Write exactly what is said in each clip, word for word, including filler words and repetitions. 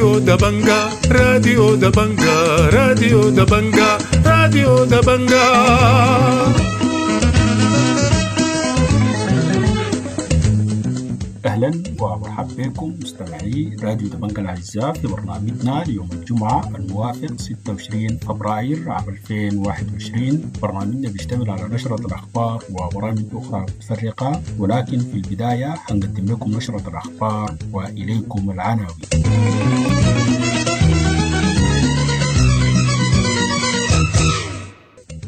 راديو دبنجا، راديو دبنجا، راديو دبنجا، راديو دبنجا. أهلا ومرحبا بكم مستمعي راديو دبنجا الأعزاء في برنامجنا ليوم الجمعة الموافق ستة وعشرين فبراير عام ألفين وواحد وعشرين. برنامجنا بيشتمل على نشرة الأخبار وبرامج أخرى متفرقة، ولكن في البداية حنقدم لكم نشرة الأخبار وإليكم العناوين.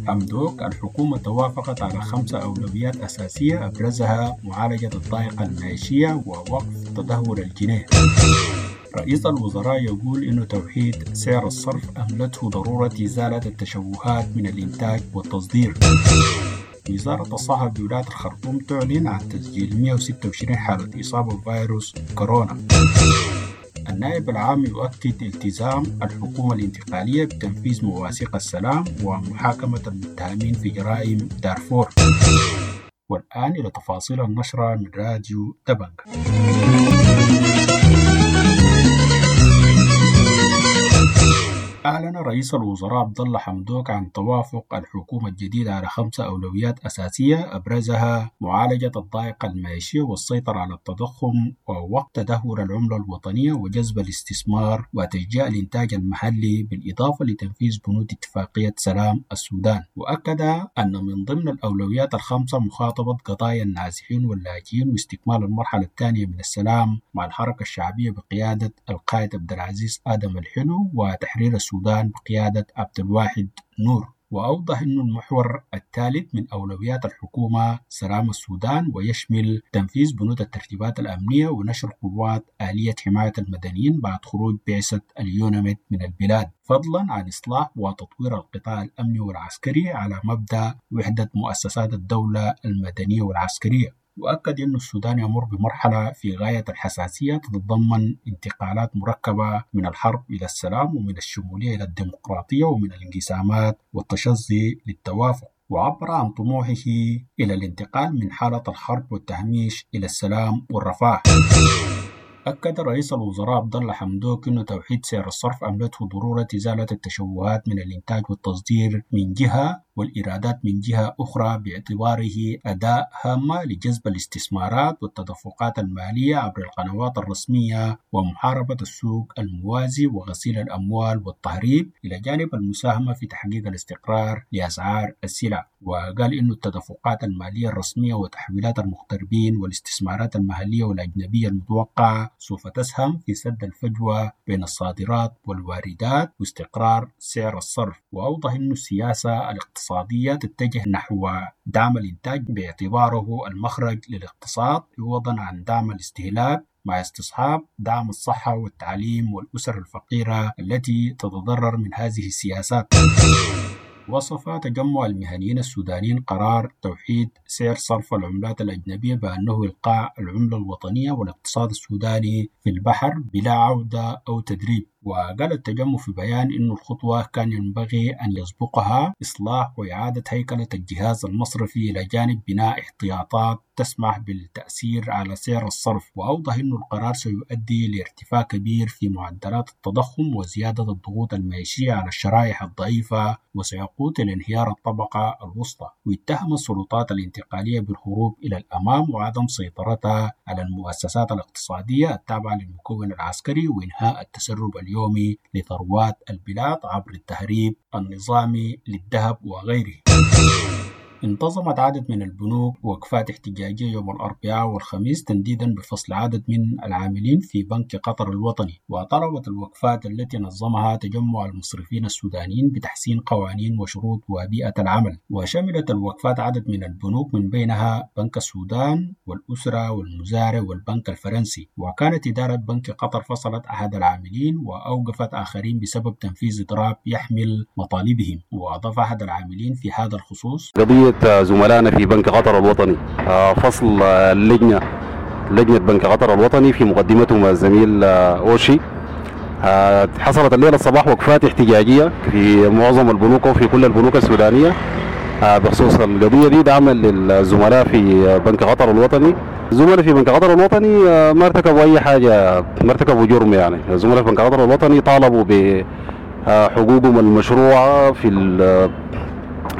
حمدوك: الحكومة توافقت على خمسة أولويات أساسية أبرزها معالجة الضائقة المعيشية ووقف تدهور الجنيه. رئيس الوزراء يقول إن توحيد سعر الصرف أملته ضرورة إزالة التشوهات من الإنتاج والتصدير. وزارة الصحة بولاية الخرطوم تعلن عن تسجيل مئة وستة وعشرين حالة إصابة بفيروس كورونا. النائب العام يؤكد التزام الحكومة الانتقالية بتنفيذ مواثيق السلام ومحاكمة المتهمين في جرائم دارفور. والآن إلى تفاصيل النشرة من راديو دبنجا. أعلن رئيس الوزراء عبد الله حمدوك عن توافق الحكومة الجديدة على خمسة أولويات أساسية أبرزها معالجة الضائقة المعيشية والسيطرة على التضخم ووقف تدهور العملة الوطنية وجذب الاستثمار وتشجيع الإنتاج المحلي، بالإضافة لتنفيذ بنود اتفاقية سلام السودان. وأكد أن من ضمن الأولويات الخمسة مخاطبة قضايا النازحين واللاجئين واستكمال المرحلة الثانية من السلام مع الحركة الشعبية بقيادة القائد عبد العزيز آدم الحلو وتحرير السودان بقيادة عبد الواحد نور. وأوضح أن المحور الثالث من أولويات الحكومة سلام السودان، ويشمل تنفيذ بنود الترتيبات الأمنية ونشر قوات آلية حماية المدنيين بعد خروج بعثة اليوناميد من البلاد، فضلا عن إصلاح وتطوير القطاع الأمني والعسكري على مبدأ وحدة مؤسسات الدولة المدنية والعسكرية. وأكد أن السودان يمر بمرحلة في غاية الحساسية تتضمن انتقالات مركبة من الحرب إلى السلام ومن الشمولية إلى الديمقراطية ومن الانقسامات والتشظي للتوافق. وعبر عن طموحه إلى الانتقال من حالة الحرب والتهميش إلى السلام والرفاه. أكد رئيس الوزراء عبد الله حمدوك أن توحيد سعر الصرف أملته ضرورة إزالة التشوهات من الإنتاج والتصدير من جهة والإيرادات من جهة أخرى، باعتباره أداة هامة لجذب الاستثمارات والتدفقات المالية عبر القنوات الرسمية ومحاربة السوق الموازي وغسيل الأموال والتهريب، إلى جانب المساهمة في تحقيق الاستقرار لأسعار السلع. وقال إن التدفقات المالية الرسمية وتحويلات المغتربين والاستثمارات المحلية والأجنبية المتوقعة سوف تسهم في سد الفجوة بين الصادرات والواردات واستقرار سعر الصرف. وأوضح أن السياسة الاقتصادية تتجه نحو دعم الإنتاج باعتباره المخرج للاقتصاد، عوضا عن دعم الاستهلاك، مع استصحاب دعم الصحة والتعليم والأسر الفقيرة التي تتضرر من هذه السياسات. وصف تجمع المهنيين السودانيين قرار توحيد سعر صرف العملات الأجنبية بأنه إلقاء العملة الوطنية والاقتصاد السوداني في البحر بلا عودة أو تدريب. وقال التجمع في بيان إن الخطوة كان ينبغي أن يسبقها إصلاح وإعادة هيكلة الجهاز المصرفي إلى جانب بناء احتياطات تسمح بالتأثير على سعر الصرف. وأوضح أن القرار سيؤدي لارتفاع كبير في معدلات التضخم وزيادة الضغوط المعيشية على الشرائح الضعيفة وسيقود إلى انهيار الطبقة الوسطى. واتهم السلطات الانتقالية بالهروب إلى الأمام وعدم سيطرتها على المؤسسات الاقتصادية التابعة للمكون العسكري وإنهاء التسرب اليومي لثروات البلاد عبر التهريب النظامي للذهب وغيره. انتظمت عدد من البنوك وقفات احتجاجية يوم الأربعاء والخميس تنديدا بفصل عدد من العاملين في بنك قطر الوطني. وطلبت الوقفات التي نظمها تجمع المصرفين السودانيين بتحسين قوانين وشروط وبيئة العمل. وشملت الوقفات عدد من البنوك من بينها بنك السودان والأسرة والمزارع والبنك الفرنسي. وكانت إدارة بنك قطر فصلت أحد العاملين وأوقفت آخرين بسبب تنفيذ إضراب يحمل مطالبهم. وأضاف أحد العاملين في هذا الخصوص: قضية زملائنا في بنك قطر الوطني، فصل اللجنة لجنة بنك قطر الوطني في مقدمتهم الزميل أوشي. حصلت الليلة الصباح وقفات احتجاجية في معظم البنوك وفي كل البنوك السودانية بخصوص القضية دي دعما للزملاء في بنك قطر الوطني. الزملاء في بنك قطر الوطني ما ارتكبوا أي حاجة، ما ارتكبوا جرم يعني. الزملاء في بنك قطر الوطني طالبوا بحقوقهم المشروعة في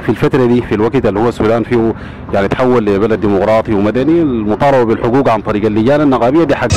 في الفترة دي، في الوقت اللي هو السودان فيه يعني تحول لبلد ديمقراطي ومدني. المطالبة بالحقوق عن طريق اللجان النقابية دي حق.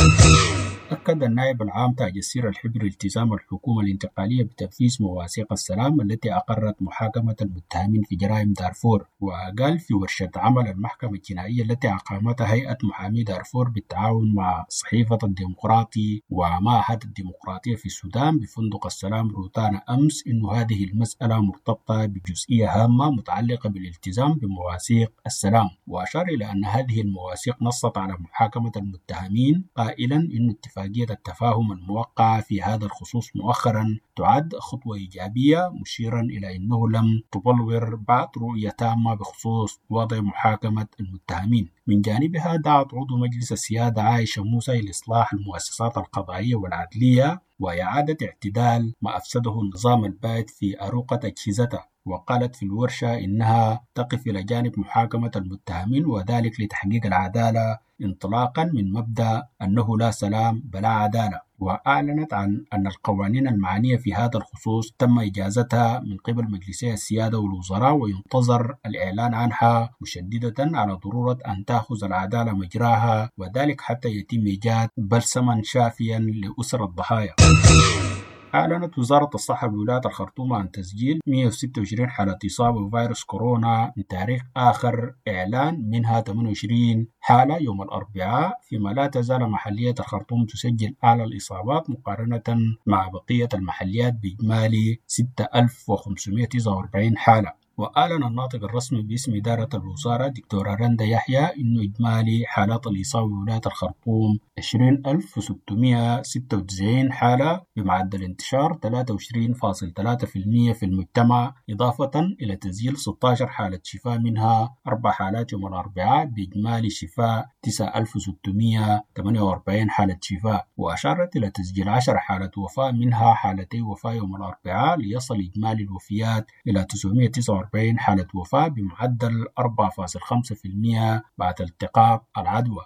أكد النائب العام تاج السر الحبري التزام الحكومة الانتقالية بتنفيذ مواثيق السلام التي أقرت محاكمة المتهمين في جرائم دارفور. وقال في ورشة عمل المحكمة الجنائية التي أقامتها هيئة محامي دارفور بالتعاون مع صحيفة الديمقراطي ومعهد الديمقراطية في السودان بفندق السلام روتانا أمس إن هذه المسألة مرتبطة بجزئية هامة متعلقة بالالتزام بمواثيق السلام. وأشار إلى أن هذه المواثيق نصت على محاكمة المتهمين، قائلا إن اتفاقية التفاهم الموقعة في هذا الخصوص مؤخرا تعد خطوة إيجابية، مشيرا إلى أنه لم تبلور بعد رؤية تامة بخصوص وضع محاكمة المتهمين. من جانبها دعت عضو مجلس السيادة عائشة موسى إلى إصلاح المؤسسات القضائية والعدلية وإعادة اعتدال ما أفسده النظام البائد في أروقة أجهزته. وقالت في الورشة إنها تقف إلى جانب محاكمة المتهمين، وذلك لتحقيق العدالة انطلاقا من مبدأ أنه لا سلام بلا عدالة. وأعلنت عن أن القوانين المعنية في هذا الخصوص تم إجازتها من قبل مجلسي السيادة والوزراء وينتظر الإعلان عنها، مشددة على ضرورة أن تأخذ العدالة مجراها، وذلك حتى يتم إيجاد بلسما شافيا لأسر الضحايا. أعلنت وزارة الصحة بولاية الخرطوم عن تسجيل مئة وستة وعشرين حالة إصابة بفيروس كورونا من تاريخ آخر إعلان، منها ثمانية وعشرين حالة يوم الأربعاء، فيما لا تزال محلية الخرطوم تسجل أعلى الإصابات مقارنة مع بقية المحليات بإجمالي ستة آلاف وخمسمئة وتسعة وأربعين حالة. وأعلن الناطق الرسمي باسم إدارة الوزارة دكتورة رندا يحيى إنه إجمالي حالات الإصابة بولاية الخرطوم عشرين ألف وستمئة وستة وتسعين حالة بمعدل انتشار ثلاثة وعشرين فاصل ثلاثة في المئة في المجتمع، إضافة إلى تسجيل ستة عشر حالة شفاء منها أربع حالات يوم الأربعاء بإجمالي شفاء تسعة آلاف وستمئة وثمانية وأربعين حالة شفاء. وأشارت إلى تسجيل عشر حالات وفاة منها حالتي وفاة يوم الأربعاء ليصل إجمالي الوفيات إلى تسعمئة وتسعة وأربعين حالة وفاة بمعدل أربعة فاصل خمسة في المئة بعد التقاط العدوى.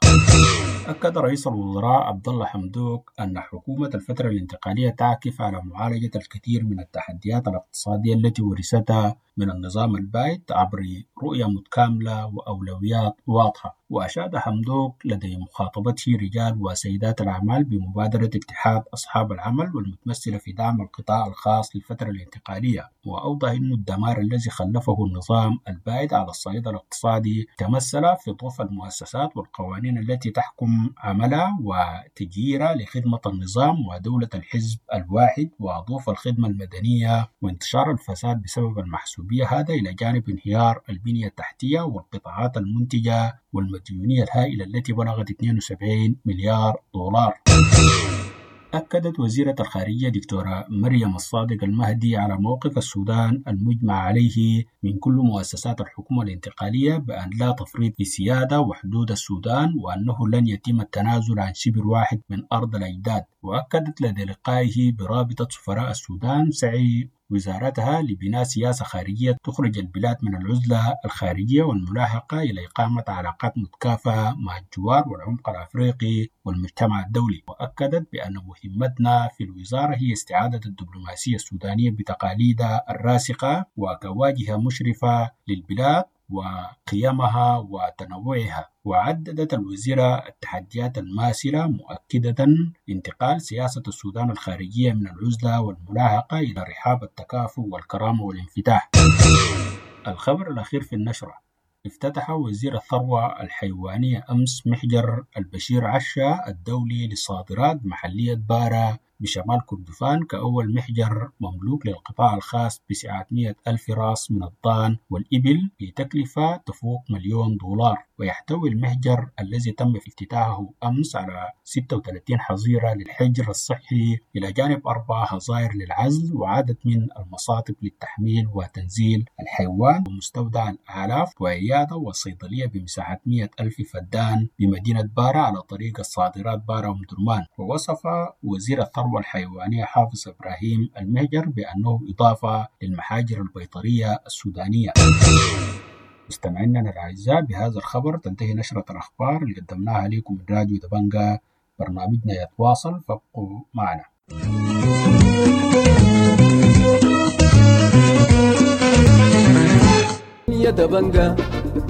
أكد رئيس الوزراء عبد الله حمدوك أن حكومة الفترة الانتقالية تعكف على معالجة الكثير من التحديات الاقتصادية التي ورثتها من النظام البائد عبر رؤية متكاملة وأولويات واضحة. وأشاد حمدوك لدى مخاطبته رجال وسيدات الأعمال بمبادرة اتحاد أصحاب العمل والمتمثلة في دعم القطاع الخاص للفترة الانتقالية، وأوضح أن الدمار الذي خلفه النظام البائد على الصعيد الاقتصادي تمثل في ضعف المؤسسات والقوانين التي تحكم عملها وتجييرها لخدمة النظام ودولة الحزب الواحد وضعف الخدمة المدنية وانتشار الفساد بسبب المحسوبية، هذا إلى جانب انهيار البنية التحتية والقطاعات المنتجة والمديونية الهائلة التي بلغت اثنين وسبعين مليار دولار. أكدت وزيرة الخارجية دكتورة مريم الصادق المهدي على موقف السودان المجمع عليه من كل مؤسسات الحكومة الانتقالية بأن لا تفريط في سيادة وحدود السودان، وأنه لن يتم التنازل عن شبر واحد من أرض الأجداد. وأكدت لدى لقائه برابطة سفراء السودان سعي وزارتها لبناء سياسة خارجية تخرج البلاد من العزلة الخارجية والملاحقة إلى إقامة علاقات متكافئة مع الجوار والعمق الأفريقي والمجتمع الدولي. وأكدت بأن مهمتنا في الوزارة هي استعادة الدبلوماسية السودانية بتقاليدها الراسخة وكواجهة مشرفة للبلاد وقيمها وتنوعها. وعددت الوزيرة التحديات الماثلة مؤكدة انتقال سياسة السودان الخارجية من العزلة والملاحقة إلى رحاب التكافؤ والكرامة والانفتاح. الخبر الأخير في النشرة: افتتح وزير الثروة الحيوانية أمس محجر البشير عشا الدولي للصادرات بمحلية بارا بشمال كردفان كأول محجر مملوك للقطاع الخاص بسعة مئة ألف راس من الضان والإبل بتكلفة تفوق مليون دولار. ويحتوي المحجر الذي تم افتتاحه أمس على ستة وثلاثين حظيرة للحجر الصحي إلى جانب أربع حظائر للعزل وعدد من المصاطب للتحميل وتنزيل الحيوان ومستودع الآلاف وعيادة وصيدلية بمساحة مئة ألف فدان بمدينة بارا على طريق الصادرات بارا ومدرمان. ووصف وزير الثروة الحيوانية حافظ إبراهيم المهجر بأنه إضافة للمحاجر البيطرية السودانية. مستمعينا الأعزاء، بهذا الخبر تنتهي نشرة الأخبار اللي قدمناها لكم من راديو دبنجا. برنامجنا يتواصل، فابقوا معنا. يا دبنجا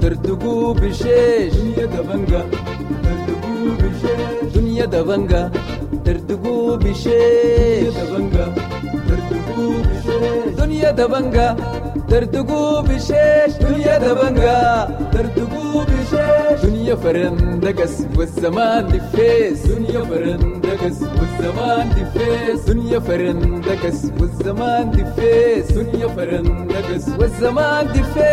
تردقوا بشيش، يا دبنجا تردقوا بشيش، دنيا دبنجا تردقوا بشيش، يا دبنجا تردقوا بشيش، دنيا دبنجا تردقوا بشيش، دنيا دبنجا تردقوا بشيش، دنيا فرندقس والزمان دفيس، دنيا فرندقس والزمان دفيس، دنيا فرندقس والزمان دفيس، دنيا فرندقس والزمان دفيس.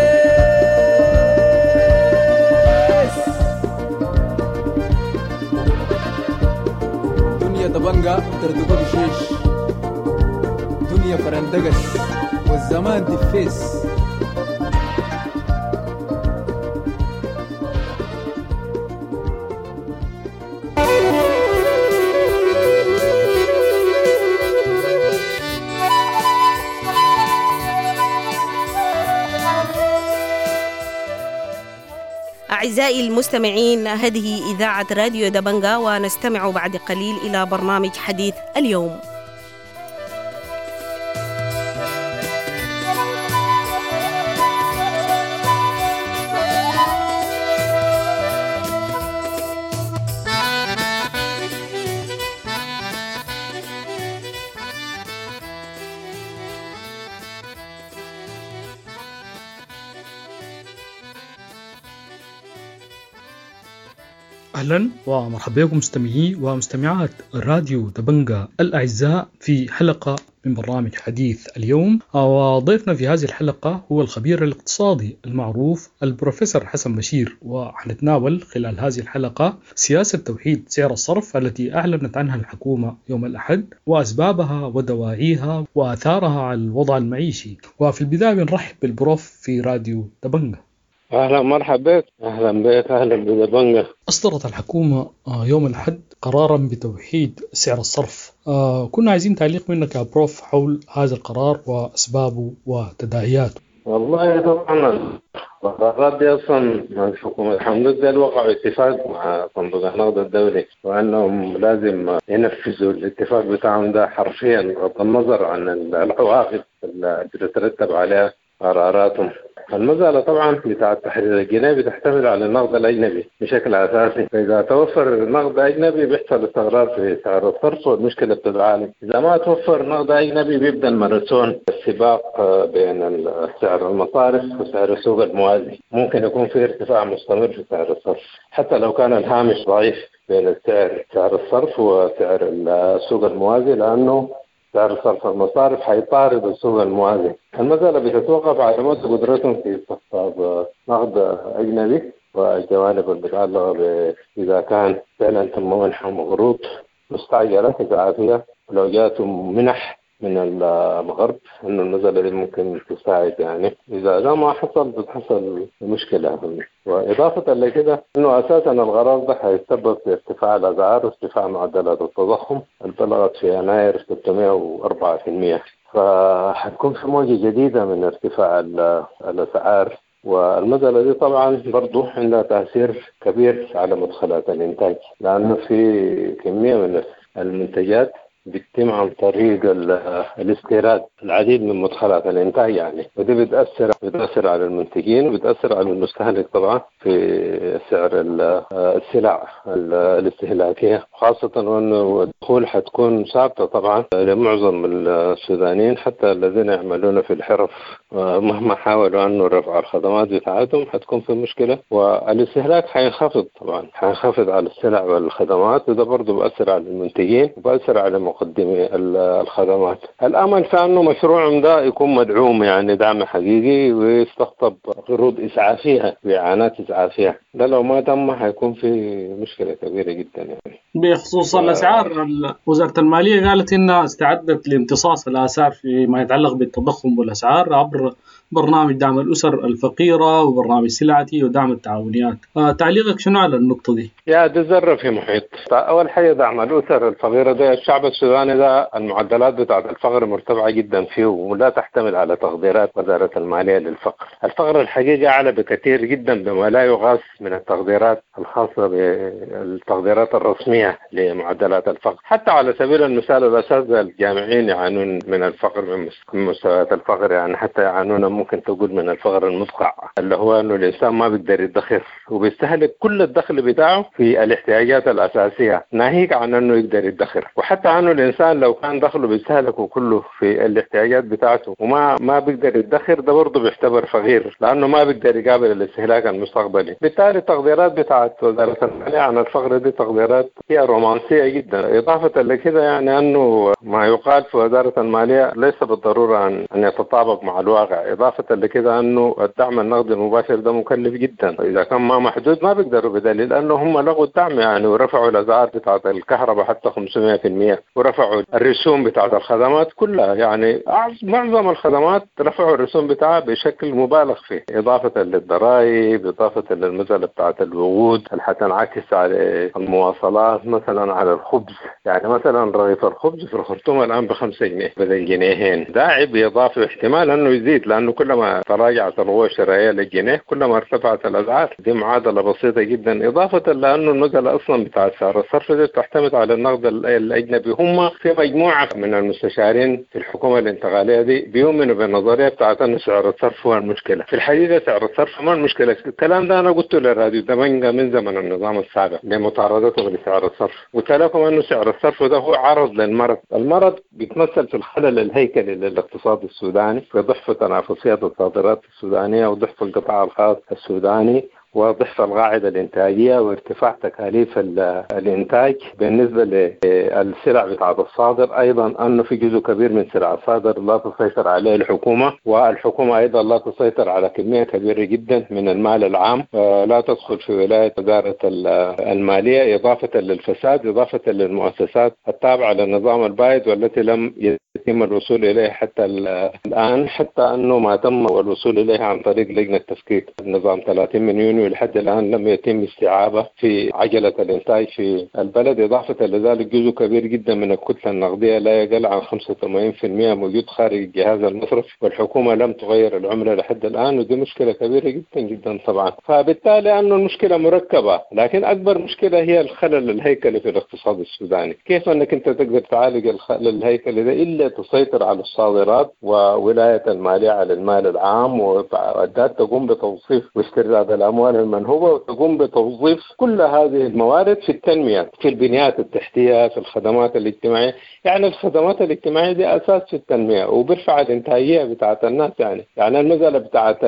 دنيا دبنجا تردقوا بشيش، دنيا فرندقس والزمان دفيس. أعزائي المستمعين، هذه إذاعة راديو دبنجا، ونستمع بعد قليل إلى برنامج حديث اليوم. أهلا ومرحبا بكم مستمعي ومستمعات راديو دبنجا الأعزاء في حلقة من برنامج حديث اليوم. وضيفنا في هذه الحلقة هو الخبير الاقتصادي المعروف البروفيسور حسن بشير، وحنتناول خلال هذه الحلقة سياسة توحيد سعر الصرف التي أعلنت عنها الحكومة يوم الأحد وأسبابها ودواعيها وآثارها على الوضع المعيشي. وفي البداية بنرحب بالبروف في راديو دبنجا. أهلا مرحبا بك. أهلا بك، أهلا بدبنجا. أصدرت الحكومة يوم الأحد قرارا بتوحيد سعر الصرف. كنا عايزين تعليق منك يا بروف حول هذا القرار وأسبابه وتداعياته. والله طبعا القرارات دي أصلا الحكومة الحمد لله وقعوا اتفاق مع صندوق النقد الدولي، وأنهم لازم ينفذوا الاتفاق بتاعهم ده حرفيا بغض النظر عن العواقب اللي تترتب عليها قراراتهم. المسألة طبعا بتاع التحرير الجنائي بتعتمد على النقد الأجنبي بشكل أساسي، فإذا توفر نقد أجنبي بيحصل استقرار في سعر الصرف والمشكلة بتتعالج. إذا ما توفر نقد أجنبي بيبدأ الماراثون السباق بين سعر المصارف وسعر السوق الموازي، ممكن يكون في ارتفاع مستمر في سعر الصرف حتى لو كان الهامش ضعيف بين السعر سعر الصرف وسعر السوق الموازي، لأنه سعر صرف المصارف حيطارد السوق الموازي. المسألة بتتوقف على مدى قدرتهم في استقطاب نقد أجنبي والجوانب المتعلقة إذا كان فعلا تم منحهم قروض مستعجلة إسعافية، ولو جاتهم منح من الغرب إنه المسألة دي ممكن تساعد يعني. إذا ده ما حصل بتحصل مشكلة. وإضافة لكده إنه أساسا القرار ده هيتسبب في ارتفاع الأسعار وارتفاع معدلات التضخم اللي بلغت في يناير ستمائة وأربعة بالمئة، فحتكون في موجة جديدة من ارتفاع الأسعار. والمسألة دي طبعا برضو عندها تأثير كبير على مدخلات الإنتاج، لأنه في كمية من المنتجات بتتم عن طريق الاستيراد العديد من مدخلات الانتاج يعني، ودي بتأثر بتأثر على المنتجين وبتأثر على المستهلك طبعا في سعر السلع الاستهلاكية، خاصة وأنه الدخول حتكون ثابتة طبعا لمعظم السودانيين حتى الذين يعملون في الحرف، مهما حاولوا أنه رفع الخدمات بتاعتهم حتكون في مشكلة، والاستهلاك حينخفض طبعا، حينخفض على السلع والخدمات، وده برضه بأثر على المنتجين وبأثر على مقدمي الخدمات. الأمل في أنه مشروعهم ده يكون مدعوم يعني دعم حقيقي ويستقطب قروض إسعافية وإعانات إسعافية، ده لو ما تم حيكون في مشكلة كبيرة جدا يعني. بخصوص الأسعار، وزارة المالية قالت إنها استعدت لامتصاص الآثار فيما يتعلق بالتضخم والأسعار عبر برنامج دعم الأسر الفقيرة وبرنامج سلعتي ودعم التعاونيات. آه تعليقك شنو على النقطة دي؟ يا دي ذرة في محيط. أول حاجة دعم الأسر الفقيرة ده، الشعب السوداني ده المعدلات بتاعت الفقر مرتفعة جدا فيه ولا تحتمل على تقديرات وزارة المالية للفقر. الفقر الحقيقي أعلى بكثير جدا بما لا يغاث من التقديرات الخاصة بالتقديرات الرسمية لمعدلات الفقر. حتى على سبيل المثال الأساتذة الجامعيين يعانون من الفقر، من مستويات الفقر، يعني حتى يعانون ممكن تقول من الفقر المدقع، اللي هو أنه الإنسان ما بيقدر يدخر وبيستهلك كل الدخل بتاعه في الاحتياجات الأساسية، ناهيك عن أنه يقدر يدخر. وحتى أنه الإنسان لو كان دخله بيستهلكه كله في الاحتياجات بتاعته وما ما بيقدر يدخر، ده برضه بيعتبر فقير لأنه ما بيقدر يقابل الاستهلاك المستقبلي. بالتالي التقديرات بتاعت وزارة المالية عن الفقر دي تقديرات هي رومانسية جدا. إضافة لكده يعني أنه ما يقال في وزارة المالية ليس بالضرورة أن أن يتطابق مع الواقع. إضافة لكده أنه الدعم النقدي المباشر ده مكلف جدا، إذا كان ما محدود ما بيقدروا، بدليل أنه هم لغوا الدعم يعني ورفعوا الأسعار بتاعت الكهرباء حتى خمسمائة بالمئة، ورفعوا الرسوم بتاعت الخدمات كلها، يعني معظم الخدمات رفعوا الرسوم بتاعها بشكل مبالغ فيه، إضافة للضرائب، إضافة للمسألة بتاعت الوقود اللي حتنعكس على المواصلات، مثلا على الخبز. يعني مثلا رغيف الخبز في الخرطوم الآن بخمسة جنيه بدل جنيهين، ده عبء إضافي احتمال أنه يزيد، لأنه كلما تراجعت القوة الشرائية للجنيه كلما ارتفعت الأسعار. دي معادلة بسيطة جدا. إضافة لأنه المسألة أصلا بتاع سعر الصرف دي تعتمد على النقد الأجنبي. هم في مجموعة من المستشارين في الحكومة الانتقالية دي بيؤمنوا بالنظرية بتاعت أن سعر الصرف هو المشكلة. في الحقيقة سعر الصرف ما المشكلة. الكلام ده أنا قلته للراديو دبنجة من زمن النظام السابق لمطاردته لسعر الصرف، قلت لكم أنه سعر الصرف ده هو عرض للمرض. المرض بيتمثل في الخلل الهيكلي للاقتصاد السوداني، في ضعف تنافسية الصادرات السودانية وضعف القطاع الخاص السوداني وضعف القاعدة الإنتاجية وارتفاع تكاليف الإنتاج. بالنسبة للسلع بتاعت الصادر أيضا أنه في جزء كبير من سلع الصادر لا تسيطر عليه الحكومة، والحكومة أيضا لا تسيطر على كمية كبيرة جدا من المال العام، لا تدخل في ولاية وزارة المالية، إضافة للفساد، إضافة للمؤسسات التابعة للنظام البائد والتي لم يتم الوصول إليه حتى الآن، حتى أنه ما تم الوصول إليه عن طريق لجنة تفكيك النظام ثلاثين من يونيو لحد الآن لم يتم استيعابه في عجلة الإنتاج في البلد. إضافة لذلك جزء كبير جدا من الكتلة النقدية لا يقل عن خمسة وثمانين بالمئة موجود خارج الجهاز المصرفي، والحكومة لم تغير العملة لحد الآن، ودي مشكلة كبيرة جدا جدا طبعا. فبالتالي أنه المشكلة مركبة، لكن أكبر مشكلة هي الخلل الهيكلي في الاقتصاد السوداني. كيف أنك أنت تقدر تعالج الخلل الهيكلي ده إلا تسيطر على الصادرات وولاية المالية على المال العام، وأداة تقوم بتوظيف واسترداد الأموال المنهوبة، وتقوم بتوظيف كل هذه الموارد في التنمية، في البنيات التحتية، في الخدمات الاجتماعية. يعني الخدمات الاجتماعية دي أساس في التنمية وبرفع الإنتاجية بتاعت الناس. يعني يعني المسألة بتاعت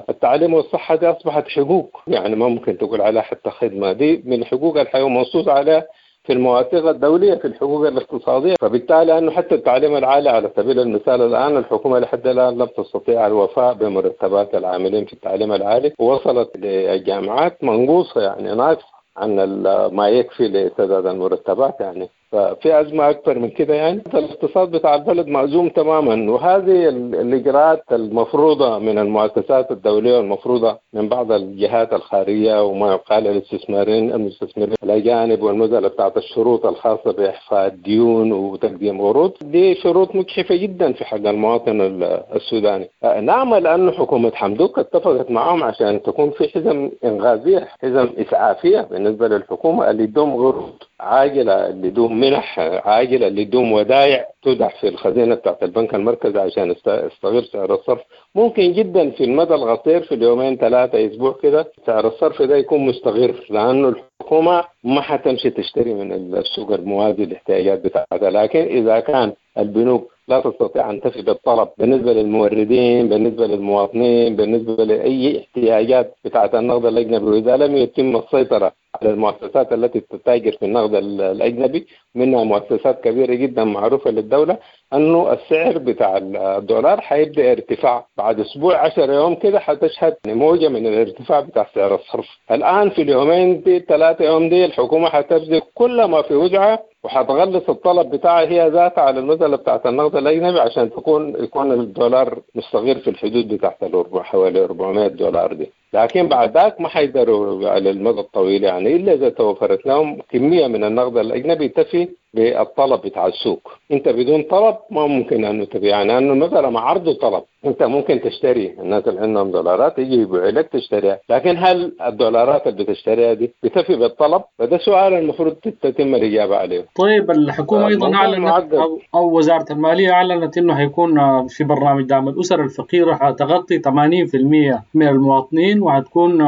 التعليم والصحة دي أصبحت حقوق، يعني ما ممكن تقول عليها حتى خدمة، دي من حقوق الحياة ومنصوص عليها في المواثيق الدولية في الحقوق الاقتصادية. فبالتالي أنه حتى التعليم العالي على سبيل المثال الآن الحكومة لحد الآن لم تستطيع الوفاء بمرتبات العاملين في التعليم العالي، ووصلت للجامعات منقوصة يعني ناقص عن ما يكفي لسداد المرتبات. يعني ففي أزمة أكبر من كده. يعني الاقتصاد بتاع البلد مأزوم تماما، وهذه الإجراءات المفروضة من المؤسسات الدولية والمفروضة من بعض الجهات الخارجية وما يقال للاستثمارين المستثمرين الأجانب، والمسألة بتاعت الشروط الخاصة بإحفاء الديون وتقديم عروض، دي شروط مجحفة جدا في حق المواطن السوداني. نعمل أن حكومة حمدوك اتفقت معهم عشان تكون في حزم إنغازية، حزم إسعافية بالنسبة للحكومة اللي يدوم عروض عاجلة، اللي يدوم منح عاجلة، اللي يدوم ودائع تودع في الخزينة بتاعت البنك المركزي عشان يستغل سعر الصرف. ممكن جدا في المدى القصير في اليومين ثلاثة أسبوع كده سعر الصرف ده يكون مستقر، لأنه الحكومة ما حتمشي تشتري من السوق الموازي الاحتياجات بتاعتها. لكن إذا كان البنوك لا تستطيع أن تفي بالطلب بالنسبة للموردين، بالنسبة للمواطنين، بالنسبة لأي احتياجات بتاعت النقد الأجنبي، وإذا لم يتم السيطرة على المؤسسات التي تتاجر في النقد الأجنبي، منها مؤسسات كبيرة جدا معروفة للدولة، أنه السعر بتاع الدولار حيبدأ ارتفاع بعد أسبوع عشر يوم كده، حتشهد موجة من الارتفاع بتاع سعر الصرف. الآن في اليومين دي ثلاثة يوم دي الحكومة حتبذل كل ما في وسعها وحتغلص الطلب بتاعها هي ذاتها على المسألة بتاعت النقد الأجنبي عشان تكون يكون الدولار مستقر في الحدود بتاعت الأربع حوالي أربعمائة دولار دي. لكن بعد ذاك ما حيقدروا على المدى الطويل يعني، إلا إذا توفرت لهم كمية من النقد الأجنبي تفي بالطلب بتاع السوق. أنت بدون طلب ما ممكن أنه تبيع، يعني أنه مثلا مع عرض وطلب أنت ممكن تشتري، الناس اللي عندهم دولارات يجي يبيعوا لك تشتريها، لكن هل الدولارات اللي بتشتريها دي بتفي بالطلب؟ فده سؤال المفروض تتم الإجابة عليه. طيب الحكومة أيضا أعلنت أو, أو وزارة المالية أعلنت أنه هيكون في برنامج دعم الأسر الفقيرة حتغطي ثمانين بالمئة من المواطنين، وهتكون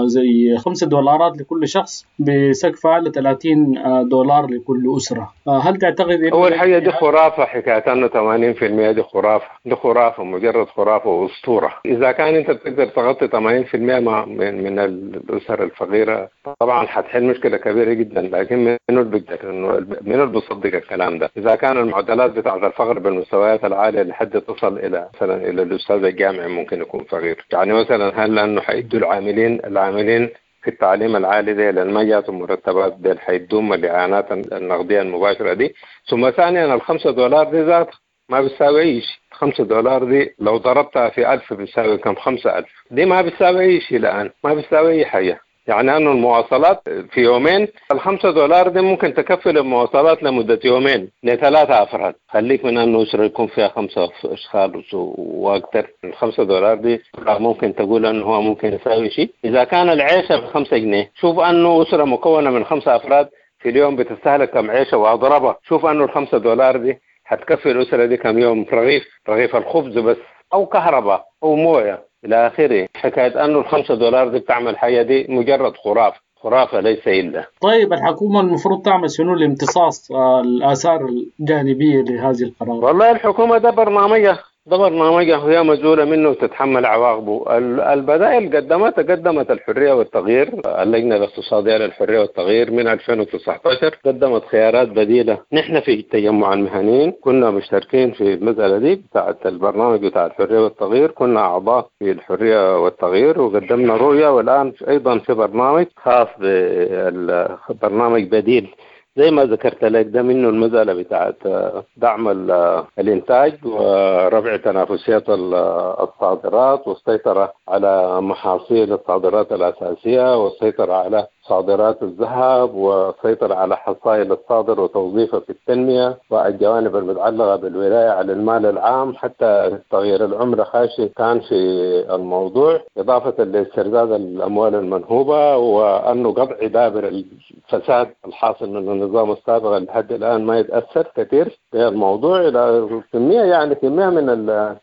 زي خمسة دولارات لكل شخص بسقف ل ثلاثين دولار لكل أسرة. هل تعتقد إنه أول حاجة دي خرافة، حكاية أنه ثمانين بالمئة دي خرافة، دي خرافة، مجرد خرافة وأسطورة. إذا كان أنت بتقدر تغطي ثمانين بالمئة من من الأسر الفقيرة طبعا حتحل مشكلة كبيرة جدا، لكن منو اللي بيقدر إنه منو اللي بيصدق الكلام ده؟ إذا كان المعدلات بتاعة الفقر بالمستويات العالية لحد تصل إلى مثلا إلى الأستاذ الجامعي ممكن يكون فقير، يعني مثلا هل لأنه حيدوا العاملين العاملين في التعليم العالي دي لأن ما جاتهم مرتبات دي حيدوم الإعانات النقدية المباشرة دي؟ ثم ثانيا الخمسة دولار دي ذات ما بتساوي أي شيء، خمسة دولار دي لو ضربتها في ألف بتساوي كم؟ خمسة ألف، دي ما بتساوي أي شيء الآن، ما بتساوي أي حاجة. يعني أنه المواصلات في يومين الخمسة دولار دي ممكن تكفي المواصلات لمدة يومين لثلاثة أفراد، خليك من أنه أسرة يكون فيها خمسة أشخاص وأكثر. الخمسة دولار دي ممكن تقول أنه هو ممكن يساوي شيء. إذا كان العيشة بخمسة جنيه، شوف أنه أسرة مكونة من خمسة أفراد في اليوم بتستهلك كم عيشة وأضربها، شوف أنه الخمسة دولار دي حتكفي الأسرة دي كم يوم رغيف، رغيف الخبز بس، أو كهرباء أو موية إلى آخره. حكاية أنه الخمسة دولار دي بتعمل حاجة دي مجرد خرافة، خرافة ليس إلا. طيب الحكومة المفروض تعمل شنو لامتصاص الآثار الجانبية لهذه القرارات؟ والله الحكومة ده برنامجها، ده برنامجها وهي مسؤولة منه وتتحمل عواقبه. البدائل قدمت قدمت الحرية والتغيير، اللجنة الاقتصادية للحرية والتغيير من ألفين وتسعة عشر قدمت خيارات بديلة. نحن في تجمع المهنيين كنا مشتركين في المسألة دي بتاعة البرنامج بتاع الحرية والتغيير، كنا أعضاء في الحرية والتغيير وقدمنا رؤية، والآن أيضا في برنامج خاص بالبرنامج بديل زي ما ذكرت لك، ده منه المسألة بتاعت دعم الإنتاج ورفع تنافسية الصادرات والسيطرة على محاصيل الصادرات الأساسية والسيطرة على صادرات الذهب والسيطرة على حصائل الصادر وتوظيفه في التنمية والجوانب المتعلقة بالولاية على المال العام، حتى تغيير العملة خاشي كان في الموضوع، إضافة لاسترداد الأموال المنهوبة وأنه قطع دابر الفساد الحاصل من النظام السابق لحد الآن ما يتأثر كثير بالموضوع. إلى كمية يعني كمية من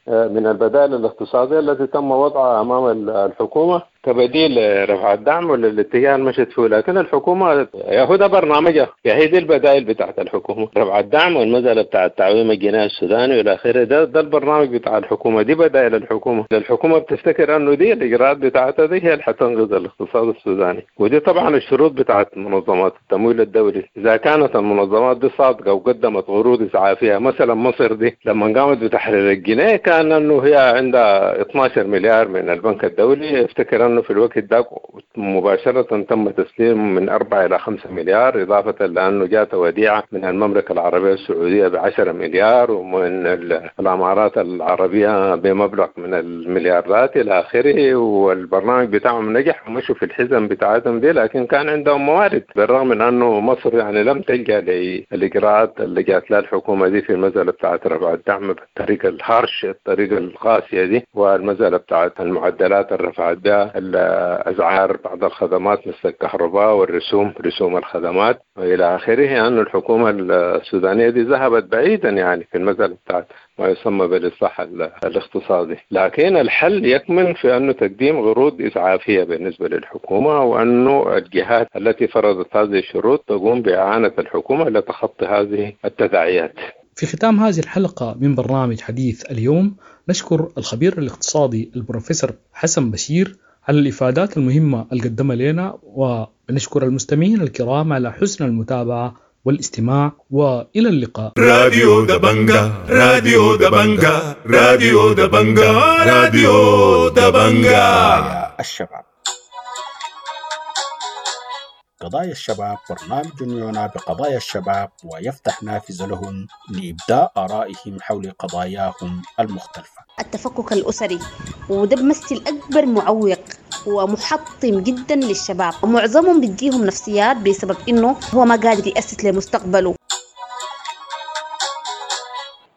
من البدائل الاقتصادية التي تم وضعها أمام الحكومة كبديل رفع الدعم وللاتجاه المشت فيه، لكن الحكومة يا هو ده برنامجها، يا هي دي البدائل بتاعت الحكومة، رفع الدعم والمسألة بتاعت تعويم الجنيه السوداني والى اخره، ده ده البرنامج بتاع الحكومة، دي بدائل الحكومة. الحكومة بتفتكر انه دي الاجراءات بتاعتها دي هي اللي حتنقذ الاقتصاد السوداني، ودي طبعا الشروط بتاعت منظمات التمويل الدولي. اذا كانت المنظمات دي صادقة وقدمت عروض اسعافية، مثلا مصر دي لما قامت بتحرير الجنيه كان انه هي عندها اثنا عشر مليار من البنك الدولي، افتكر انه في الوقت ده مباشرة تم تسليم من أربعة إلى خمسة مليار، إضافة لأنه جاءت وديعة من المملكة العربية السعودية بعشرة مليار ومن الإمارات العربية بمبلغ من المليارات إلى آخره، والبرنامج بتاعهم نجح ومشوا في الحزم بتاعتهم دي، لكن كان عندهم موارد، بالرغم من أنه مصر يعني لم تلجأ للإجراءات اللي جات لها الحكومة دي في المسألة بتاعت رفع الدعم بالطريقة الهارش، الطريقة القاسية دي، والمسألة بتاعت المعدلات اللي رفعت بها الأسعار بعض الخدمات مثل الكهرباء والرسوم، رسوم الخدمات وإلى آخره. أن الحكومة السودانية دي ذهبت بعيدا يعني في المسألة بتاعت ما يسمى بالإصلاح الاقتصادي، لكن الحل يكمن في أنه تقديم عروض إسعافية بالنسبة للحكومة، وأنه الجهات التي فرضت هذه الشروط تقوم بإعانة الحكومة لتخطي هذه التداعيات. في ختام هذه الحلقة من برنامج حديث اليوم نشكر الخبير الاقتصادي البروفيسور حسن بشير على الإفادات المهمة اللي قدمها لنا، بنشكر المستمعين الكرام على حسن المتابعة والاستماع، وإلى اللقاء. راديو دبنجا، راديو دبنجا، راديو دبنجا، راديو دبنجا. الشباب، قضايا الشباب برنامج يعنى بقضايا الشباب ويفتح نافذة لهم لإبداء آرائهم حول قضاياهم المختلفة. التفكك الأسري وده بمثل أكبر معوق ومحطم جدا للشباب، ومعظمهم بتجيهم نفسيات بسبب إنه هو ما قادر يأسس لمستقبله.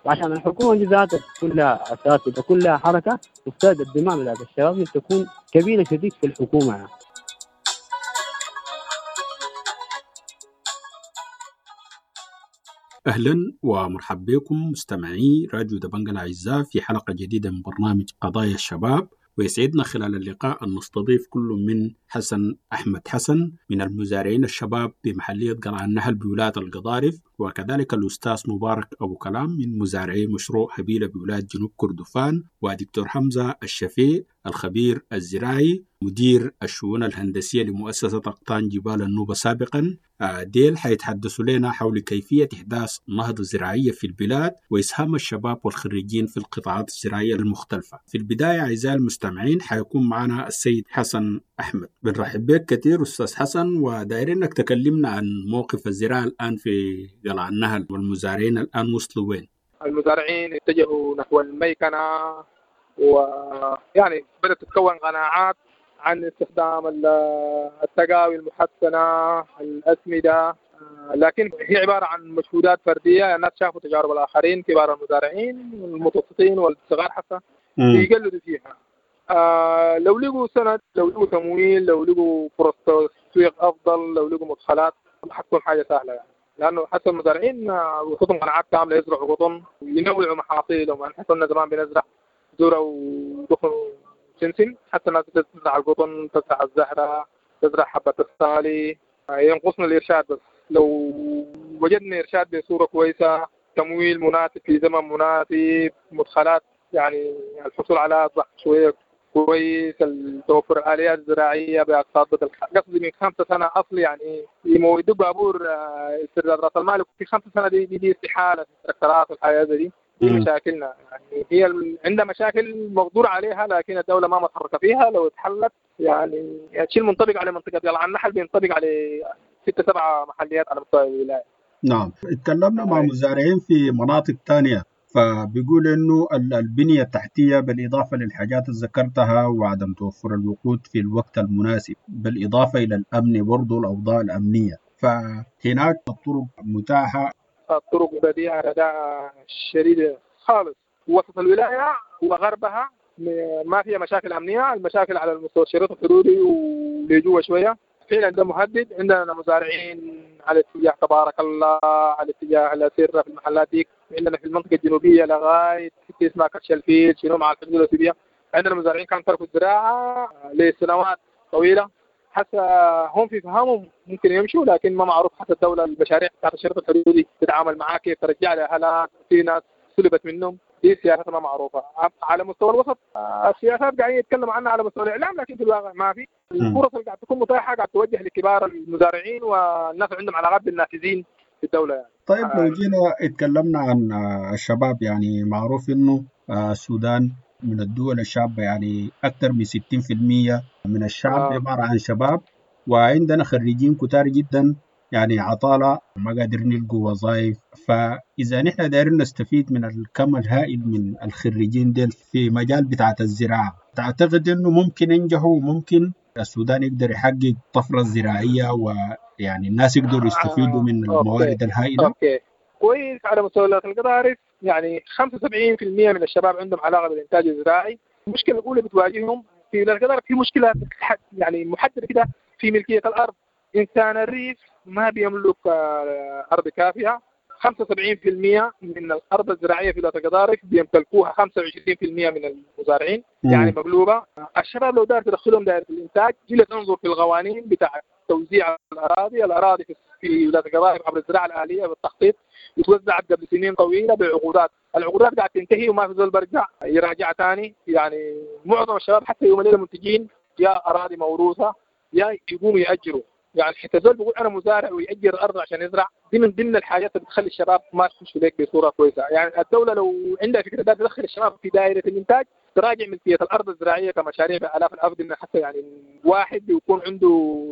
وعشان الحكومة دي ذاتها كلها أساس وكلها حركة تفترض الدماء بتاعت الشباب تكون كبيرة شديد في الحكومة يعني. أهلا ومرحبا بكم مستمعي راديو دبنجا الأعزاء في حلقة جديدة من برنامج قضايا الشباب، ويسعدنا خلال اللقاء أن نستضيف كل من حسن أحمد حسن من المزارعين الشباب بمحلية قلعة النهل بولاية القضارف، وكذلك الأستاذ مبارك أبو كلام من مزارعي مشروع هبيلة بولاية جنوب كردفان، ودكتور حمزة الشفيع الخبير الزراعي مدير الشؤون الهندسية لمؤسسة أقطان جبال النوبة سابقا. ديل حيتحدثوا لنا حول كيفية إحداث نهضة زراعية في البلاد وإسهام الشباب والخريجين في القطاعات الزراعية المختلفة. في البداية أعزائي المستمعين حيكون معنا السيد حسن أحمد. بنرحب بك كثير أستاذ حسن، ودايرين إنك تكلمنا عن موقف الزراعة الآن في قلعة النهل والمزارعين الآن وصلوا وين؟ المزارعين اتجهوا نحو الميكنة، ويعني بدأت تتكون قناعات عن استخدام التقاوي المحسنة، الأسمدة، لكن هي عبارة عن مجهودات فردية. الناس شافوا تجارب الآخرين، كبار المزارعين المتوسطين والصغار حتى يقلدوا فيها. آه لو لقوا سند، لو لقوا تمويل، لو لقوا فرص تسويق أفضل، لو لقوا مدخلات، حتكون حاجة سهلة يعني. لأنه حتى المزارعين وصلتهم قناعات كاملة يزرعوا قطن وينوعوا محاصيلهم. يعني حصلنا زمان بنزرع ذرة ودخن سمسم، حتى الناس تزرع القطن، تزرع الزهرة، تزرع حبة الصالي. ينقصنا الإرشاد بس، لو وجدنا إرشاد بصورة كويسة، تمويل مناسب في زمن مناسب، مدخلات يعني الحصول على أصبح شوية كويس، توفر الآليات الزراعية بأقساط بدل قصدي من خمسة سنة أصل يعني يمودوا بابور استرداد رأس المال في خمسة سنة دي دي, دي استحالة في التراكترات والحياة دي. دي مشاكلنا يعني، هي عندها مشاكل مقدور عليها لكن الدولة ما متحركة فيها. لو اتحلت يعني الشيء المنطبق على منطقة قلعة النحل بينطبق على ستة سبعة محليات على مستوى الولاية. نعم، اتكلمنا مع مزارعين في مناطق تانية فبيقول انه البنية التحتية بالإضافة للحاجات اللي ذكرتها وعدم توفر الوقود في الوقت المناسب، بالإضافة إلى الأمن برضو الأوضاع الأمنية، فهناك الطرق متاحة. الطرق بديعة رداء شديدة خالص. وسط الولاية وغربها ما فيها مشاكل أمنية، المشاكل على المستوى الشريط الحدودي واللي شوية فعلا ده مهدد. عندنا مزارعين على اتجاه تبارك الله، على اتجاه الأسرة في المحلات ديك، عندنا في المنطقة الجنوبية لغاية حتة اسمها كرش الفيل شنو مع الحدود الأثيوبية. عندنا مزارعين كانوا تركوا الزراعة لسنوات طويلة، حتى هم في فهمهم ممكن يمشوا، لكن ما معروف حتى الدولة المشاريع بتاعت الشريط الحدودي تتعامل معاه كيف، ترجع لأهلها. في ناس سلبت منهم، دي سياسات ما معروفة. على مستوى الوسط السياسات قاعدين يتكلموا عنها على مستوى الإعلام، لكن في الواقع ما في. الفرص اللي قاعد تكون متاحة قاعد توجه لكبار المزارعين والناس اللي عندهم علاقات بالنافذين في الدولة يعني. طيب لو جينا اتكلمنا عن الشباب، يعني معروف إنه السودان من الدول الشابة، يعني أكثر من ستين بالمية من الشعب عبارة عن شباب، وعندنا خريجين كتار جدا يعني عطالة ما قادرين يلقوا وظائف. فإذا نحن دايرين نستفيد من الكم الهائل من الخريجين ديل في مجال بتاعة الزراعة، تعتقد إنه ممكن ينجحوا وممكن السودان يقدر يحقق طفرة زراعية ويعني الناس يقدروا يستفيدوا من الموارد الهائلة؟ okay كويس. على مستوى القضارف يعني خمسة وسبعين بالمية من الشباب عندهم علاقة بالإنتاج الزراعي. المشكلة الأولى بتواجههم في القضارف في مشكلة يعني محددة كده في ملكية الأرض. إنسان الريف ما بيملك أرض كافية. خمسة وسبعين بالمية من الأرض الزراعية في ولاية القضارف بيمتلكوها خمسة وعشرين بالمية من المزارعين، يعني مقلوبة. الشباب لو دار تدخلهم دائرة الإنتاج، جيل تنظر في القوانين بتاع توزيع الأراضي. الأراضي في ولاية القضارف عبر الزراعة الآلية بالتخطيط اتوزعت قبل سنين طويلة بعقودات، العقودات قاعدة تنتهي وما في زول برجع يراجعها ثاني. يعني معظم الشباب حتى يوم الليلة منتجين يا أراضي موروثة يا يقوموا يأجروا. يعني حتى زول بيقول انا مزارع ويأجر الارض عشان يزرع، دي من ضمن الحاجات اللي بتخلي الشباب ما تخشوا لك بصورة كويسة. يعني الدولة لو عندها فكرة ده تدخل الشباب في دائرة الانتاج، تراجع ملكية الارض الزراعية كمشاريع بالاف الافدنه، حتى يعني واحد بيكون عنده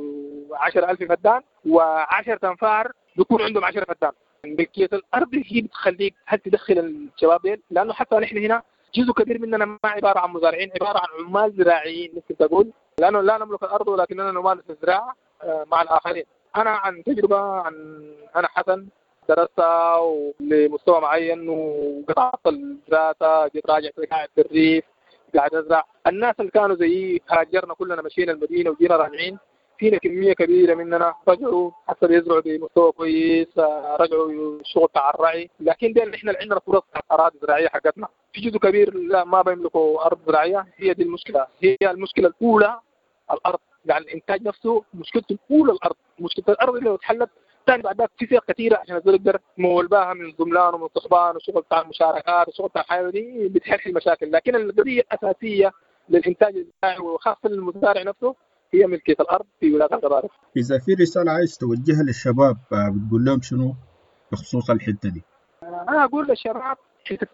عشرة ألف فدان وعشرة انفار بيكون عندهم عشرة فدان. ملكية الارض هي بتخليك هل تدخل الشباب ديل، لانه حتى نحن هنا جزء كبير مننا ما عبارة عن مزارعين، عبارة عن عمال زراعيين ممكن تقول، لانه لا نملك الارض ولكننا نمارس الزراعة مع الاخرين. انا عن تجربه، عن انا حسن درست لمستوى معين وقطعت الدراسة، جيت راجع قاعد في الريف قاعد ازرع. الناس اللي كانوا زيي هاجرنا كلنا، مشينا المدينة وجينا راجعين، فينا كمية كبيرة مننا رجعوا حتى بيزرعوا بمستوى كويس، رجعوا الشغل بتاع الرعي. لكن ده احنا اللي عندنا فرص اراضي زراعية حقتنا، في جزء كبير لا ما بيملكوا ارض زراعية. هي دي المشكلة، هي المشكلة الاولى الارض. يعني الانتاج نفسه مشكلته الاولى الارض. مشكلة الارض اللي لو اتحلت ثاني بعد ذاك في سياق كثيرة عشان الزول يقدر يمول بها من زملان ومن صحبان وشغل بتاع المشاركات وشغل بتاع الحياة دي بتحل المشاكل. لكن القضية الاساسية للانتاج الزراعي وخاصة للمزارع نفسه هي ملكية الارض في ولاية القضارف. اذا في رسالة عايز توجهها للشباب بتقول لهم شنو بخصوص الحتة دي؟ انا اقول للشباب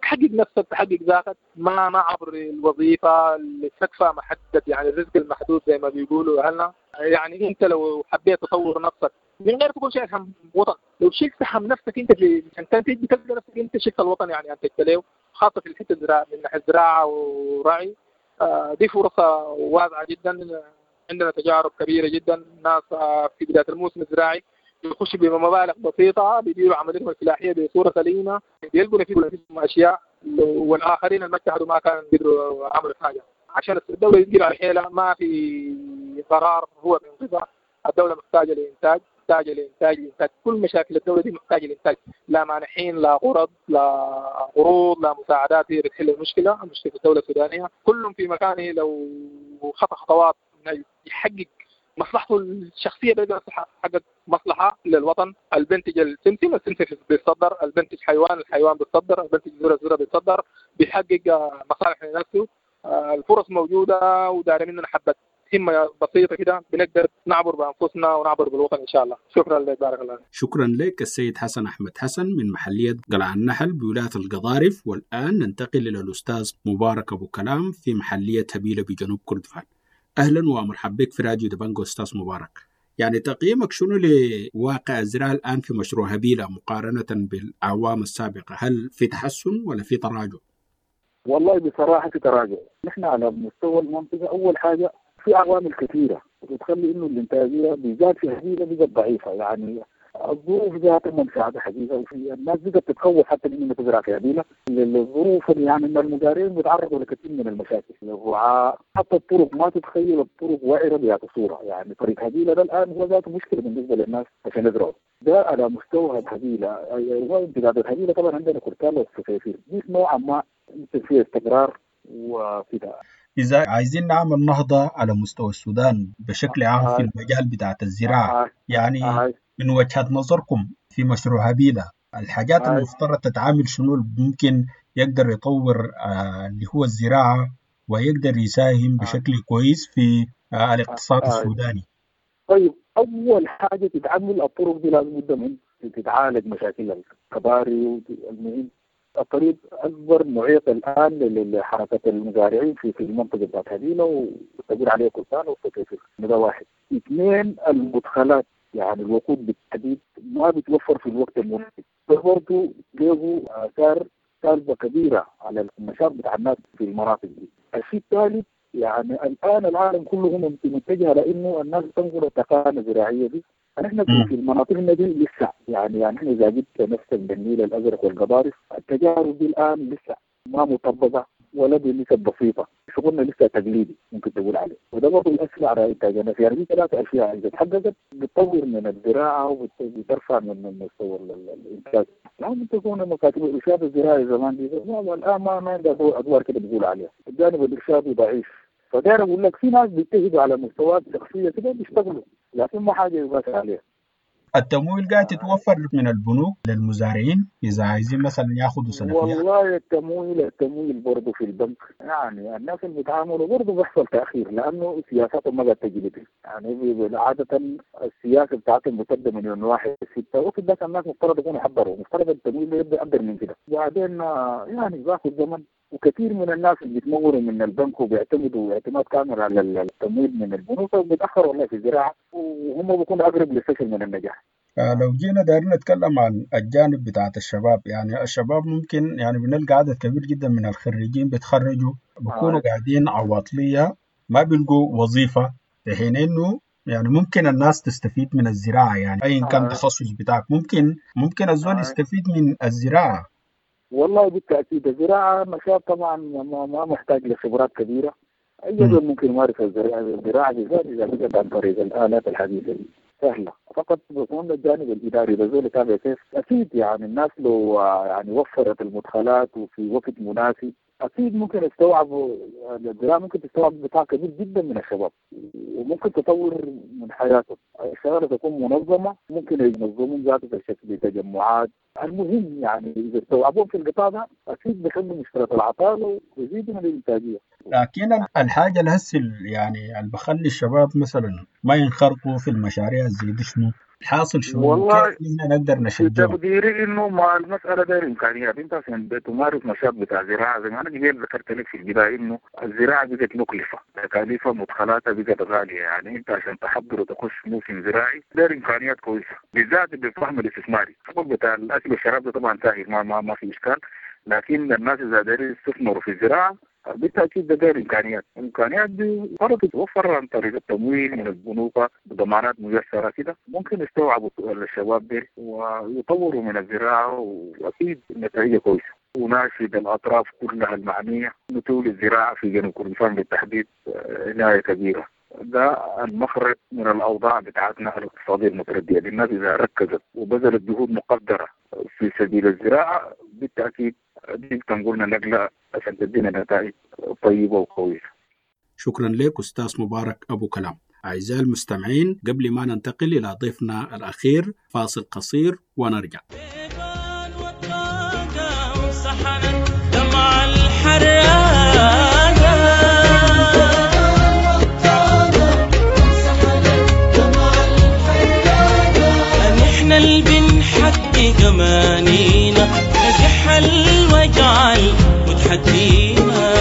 تحقق نفسك، تحقق ذاتك، ما ما عبر الوظيفة اللي تكفى محدد، يعني الرزق المحدود زي ما بيقولوا اهلنا. يعني انت لو حبيت تطور نفسك من غير تكون شايل هم وطن، لو شلت هم نفسك انت في عشان تنتج بتلقى نفسك انت شلت الوطن، يعني انتجت له، خاصة في الحتة الزراعة من ناحية الزراعة ورعي. آه دي فرصة واسعة جدا، عندنا تجارب كبيرة جدا. ناس آه في بداية الموسم الزراعي يخشوا بمبالغ بسيطة، بيديروا عمليتهم الفلاحية بصورة سليمة، بيلقوا نفسهم اشياء، والاخرين اللي ما اجتهدوا ما كانوا يقدروا عملوا حاجة. عشان الدولة يقدر على حيلها، ما في قرار هو بينقذها. الدولة محتاجه لانتاج، محتاجه لانتاج لانتاج، كل مشاكل الدولة دي محتاجه لانتاج، لا مانحين، لا قرض، لا قروض، لا مساعدات هي بتحل المشكلة. مشكلة الدولة السودانية كلهم في مكانه لو خطى خطوات يحقق مصلحته الشخصية بيقدر يحقق مصلحة للوطن. البنتج السمسم، السمسم بيتصدر، البنتج حيوان، الحيوان بيتصدر، البنتج ذره، الذرة بيتصدر، بيحقق مصالح لنفسه. الفرص موجودة ودار مننا حبه همه بسيطة كده بنقدر نعبر بانفسنا ونعبر بالوطن ان شاء الله. شكرا لك، بارك الله. شكرا لك السيد حسن احمد حسن من محليه قلعه النحل بولاية القضارف. والان ننتقل الى الاستاذ مبارك ابو كلام في محليه هبيله بجنوب كردفان. اهلا ومرحبا بك في راديو دبنجو استاذ مبارك. يعني تقييمك شنو لواقع الزراعة الان في مشروع هبيله مقارنة بالاعوام السابقة؟ هل في تحسن ولا في تراجع؟ والله بصراحة في تراجع. نحن على مستوى المنطقة اول حاجة في عوامل كثيرة بتخلي انه الانتاجية بالذات في هبيله بقت ضعيفة، يعني الظروف ذاتها ما مساعدة حقيقة، وفي الناس بقت تتخوف حتى من انها تزرع في هبيله للظروف، يعني ان المزارعين بيتعرضوا لكثير من المشاكل، الرعاة، حتى الطرق ما تتخيل الطرق وعره بهذه الصورة، يعني طريق هبيله ده الان هو ذاته مشكلة بالنسبة للناس عشان يزرعوا. ده على مستوى هبيله. هو امتداد الهبيله طبعا عندنا كرتال والسفافير دي نوعا ما فيها استقرار وكده. إذا عايزين نعمل نهضة على مستوى السودان بشكل عام في المجال بتاعت الزراعة، يعني من وجهة نظركم في مشروع هبيلة الحاجات المفترض تتعامل شنو ممكن يقدر يطور اللي هو الزراعة ويقدر يساهم بشكل كويس في الاقتصاد السوداني؟ طيب أول حاجة تتعامل الطرق دي لازم بد من تتعالج مشاكل الكباري. المهم الطريق اكبر معيق الان لحركة المزارعين في في المنطقة بتاعت هبيله وتقول عليه كرتان وسكيفير. ده واحد. اثنين المدخلات، يعني الوقود بالتحديد ما بيتوفر في الوقت المناسب، ده برضه له اثار سالبه كبيرة على النشاط بتاع الناس في المناطق دي. الشيء الثالث يعني الان العالم كله متجه لانه الناس تنظر التقانه الزراعية دي. نحن في المناطق دي لسه يعني يعني احنا اذا جبت نفسك بالنيل الازرق والقضارف التجارب دي الان لسه ما مطبقه ولا بنسب بسيطة، شغلنا لسه تقليدي ممكن تقول عليه، وده برضه ياثر على انتاجنا. يعني دي ثلاث اشياء اذا تحققت بتطور من الزراعة وبترفع من مستوى الانتاج. يعني تكون مكاتب الارشاد الزراعي زمان دي والان ما ما عندها ادوار كده بيقول عليها، الجانب الارشادي ضعيف. فداير اقول لك في ناس بيجتهدوا على مستويات شخصية كده بيشتغلوا، لكن ما حاجة يقاس عليها. التمويل قاعد يتوفر من البنوك للمزارعين إذا عايزين مثلا ياخذوا سلفيات؟ والله التمويل التمويل برضه في البنك يعني الناس اللي بيتعاملوا برضه بيحصل تأخير لأنه سياساتهم ما قاعد تجي، يعني عادة السياسة بتاعتهم بتبدأ من يوم واحد ستة وفي ذاك الناس مفترض يكونوا حضروا، مفترض التمويل يبدأ أقدر من كده، وبعدين يعني بياخذ زمن، وكثير من الناس اللي بيتمولوا من البنك وبيعتمدوا اعتماد كامل على التمويل من البنوك وبيتأخروا والله في الزراعة، وهم بيكونوا أقرب للفشل من النجاح. لو جينا دايرين نتكلم عن الجانب بتاعت الشباب، يعني الشباب ممكن يعني بنلقى عدد كبير جدا من الخريجين بيتخرجوا بيكونوا آه. قاعدين عواطلية ما بيلقوا وظيفة، في حين إنه يعني ممكن الناس تستفيد من الزراعة، يعني أيا كان آه. تخصص بتاعك ممكن ممكن الزول آه. يستفيد من الزراعة. والله بالتأكيد الزراعة نشاط طبعا ما محتاج لخبرات كبيرة، أي زول ممكن يمارس الزراعة، الزراعة بالذات إذا بقت عن طريق الآلات الحديثة دي سهلة، فقط بيكون الجانب الإداري بزول يتابع كيف. أكيد يعني الناس لو يعني وفرت المدخلات وفي وقت مناسب أكيد ممكن يستوعبوا الزراعة، ممكن تستوعب قطاع كبير جدا من الشباب وممكن تطور من حياتهم. الشغلة تكون منظمة، ممكن ينظمون ذاته في شكل تجمعات. المهم يعني إذا استوعبوهم في القطاع ده أكيد بيحلوا مشكلة العطالة ويزيدوا من الإنتاجية. لكن الحاجة الهسه يعني اللي بخلي الشباب مثلا ما ينخرطوا في المشاريع زي دي شنو؟ الحاصل شنو؟ والله كيف نقدر نشجعهم؟ تقديري انه مع المسالة داير امكانيات. انت عشان تمارس نشاط بتاع زراعة زي ما انا قبل ذكرت لك في البداية انه الزراعة بقت مكلفة، تكاليفها مدخلاتها بقت غالية، يعني انت عشان تحضر وتخش موسم زراعي داير امكانيات كويسة، بالذات بالفهم الاستثماري. الشغل بتاع الاكل والشراب ده طبعا سهل ما ما, ما في اشكال، لكن الناس اذا دايرين يستثمروا في الزراعة بالتأكيد ده داير إمكانيات، الإمكانيات دي فرض تتوفر عن طريق التمويل من البنوك بضمانات ميسرة كده، ممكن يستوعبوا الشباب دي ويطوروا من الزراعة وأكيد النتائج كويسة. وناشد الأطراف كلها المعنية نتولي الزراعة في جنوب كردفان بالتحديد عناية كبيرة. ده المخرج من الأوضاع بتاعتنا الاقتصادية المتردية. الناس إذا ركزت وبذلت جهود مقدرة في سبيل الزراعة بالتأكيد دي تنقلنا نقلة عشان تدينا نتائج طيبة وقوية. شكرا لك أستاذ مبارك أبو كلام. أعزائي المستمعين، قبل ما ننتقل إلى ضيفنا الأخير فاصل قصير ونرجع. نحن اللي بنحقق أمانينا، نزح الوجع متحدينا.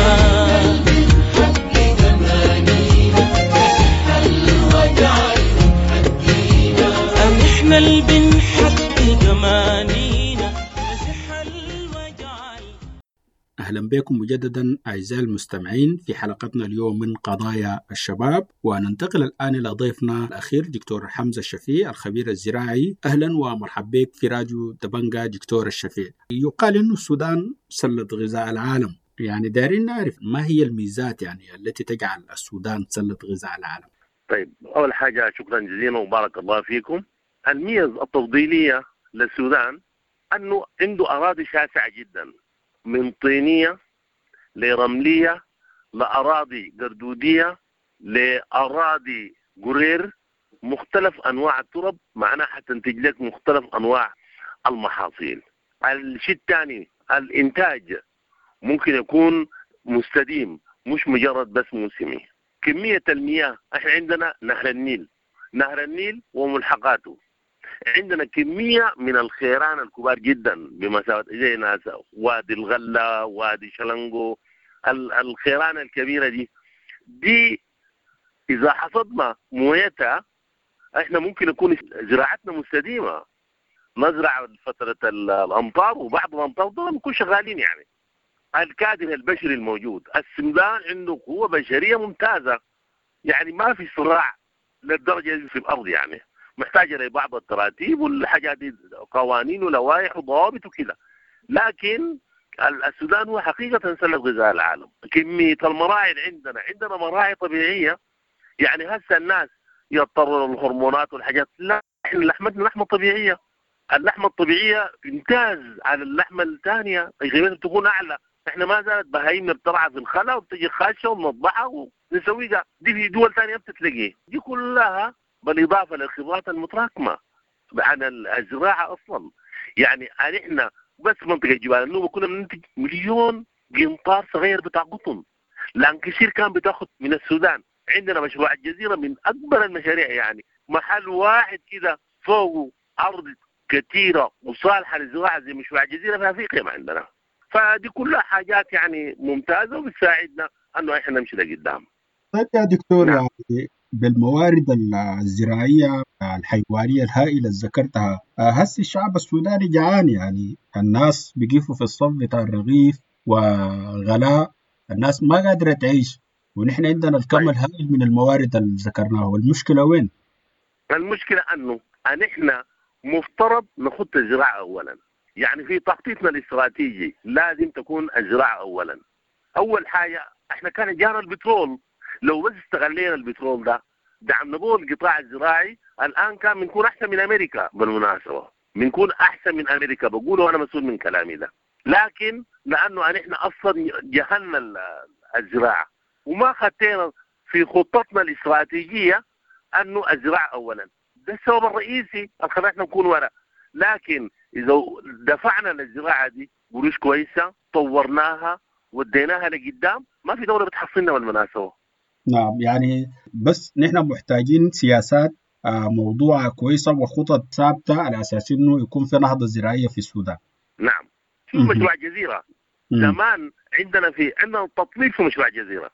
نحن اللي بنحقق أمانينا، نزح الوجع. أهلا بكم مجددا أعزائي المستمعين في حلقتنا اليوم من قضايا الشباب، وننتقل الآن إلى ضيفنا الأخير دكتور حمزة الشفيع الخبير الزراعي. أهلا ومرحبا بك في راديو دبنجا دكتور الشفيع. يقال أن السودان سلة غذاء العالم، يعني دارين نعرف ما هي الميزات يعني التي تجعل السودان سلة غذاء العالم؟ طيب، أول حاجة شكرا جزيلا وبارك الله فيكم. الميز التفضيلية للسودان أنه عنده أراضي شاسعة جدا، من طينية لرملية لأراضي قردودية لأراضي قرير، مختلف أنواع الترب، معناها حتنتج لك مختلف أنواع المحاصيل. الشيء الثاني الإنتاج ممكن يكون مستديم، مش مجرد بس موسمي. كمية المياه، احنا عندنا نهر النيل، نهر النيل وملحقاته، عندنا كمية من الخيران الكبار جدا بمسافة زي ناس وادي الغلة، وادي شلنجو، الخيران الكبيرة دي دي إذا حصدنا مويتها احنا ممكن يكون زراعتنا مستديمة، نزرع فترة الأمطار وبعد الأمطار دول نكون شغالين. يعني الكادر البشري الموجود، السودان عنده قوة بشرية ممتازة، يعني ما في صراع للدرجة دي في الأرض، يعني محتاجة لبعض التراتيب والحاجات دي، قوانين ولوائح وضوابط وكذا، لكن السودان هو حقيقة سلة غذاء العالم. كمية المراعي اللي عندنا، عندنا مراعي طبيعية، يعني هسه الناس يضطروا للهرمونات والحاجات، لا، احنا لحمتنا لحمة طبيعية. اللحمة الطبيعية تمتاز على اللحمة الثانية، قيمتها بتكون أعلى. احنا ما زالت بهايمنا بترعى في الخلا وبتجي خاشة وبنطبعها ونسويها، دي في دول ثانية بتتلاقي. دي كلها بالإضافة للخبرات المتراكمة. عن الزراعة اصلا. يعني احنا بس منطقة جبال النوبة كنا بننتج مليون قنطار صغير بتاع قطن، لانكشير كان بتاخد من السودان. عندنا مشروع الجزيرة من اكبر المشاريع، يعني محل واحد كده فوق ارض كثيرة وصالحه للزراعة زي مشروع الجزيرة في افريقيا ما عندنا. فدي كلها حاجات يعني ممتازة وبتساعدنا انه احنا نمشي لقدام. طيب يا دكتور، نعم. يعني بالموارد الزراعية الحيوانية الهائلة اللي ذكرتها، هسه الشعب السوداني جعان، يعني الناس بيقفوا في الصف بتاع الرغيف وغلاء، الناس ما قادرة تعيش، ونحن عندنا الكم طيب. الهائل من الموارد اللي ذكرناه، والمشكلة وين؟ المشكلة أنه نحن مفترض نخط الزراعة أولا. يعني في تخطيطنا الاستراتيجي لازم تكون الزراعة أولا. أول حاجة احنا كان جانا البترول، لو بس استغلينا البترول ده دعمنا به القطاع الزراعي الآن كان بنكون أحسن من أمريكا. بالمناسبة بنكون أحسن من أمريكا، بقوله أنا مسؤول من كلامي ده. لكن لأنه نحن أصلا جهلنا الزراعة وما خدينا في خطتنا الاستراتيجية أنه الزراعة أولا، ده السبب الرئيسي اللي خلانا نكون وراء. لكن إذا دفعنا للزراعة دي قروش كويسة، طورناها وديناها لقدام، ما في دولة بتحصلنا بالمناسبة. نعم، يعني بس نحن محتاجين سياسات موضوعة كويسة وخطط ثابتة على أساس إنه يكون في نهضة زراعية في السودان. نعم، شوف مشروع الجزيرة زمان عندنا في عندنا تطبيق في مشروع الجزيرة.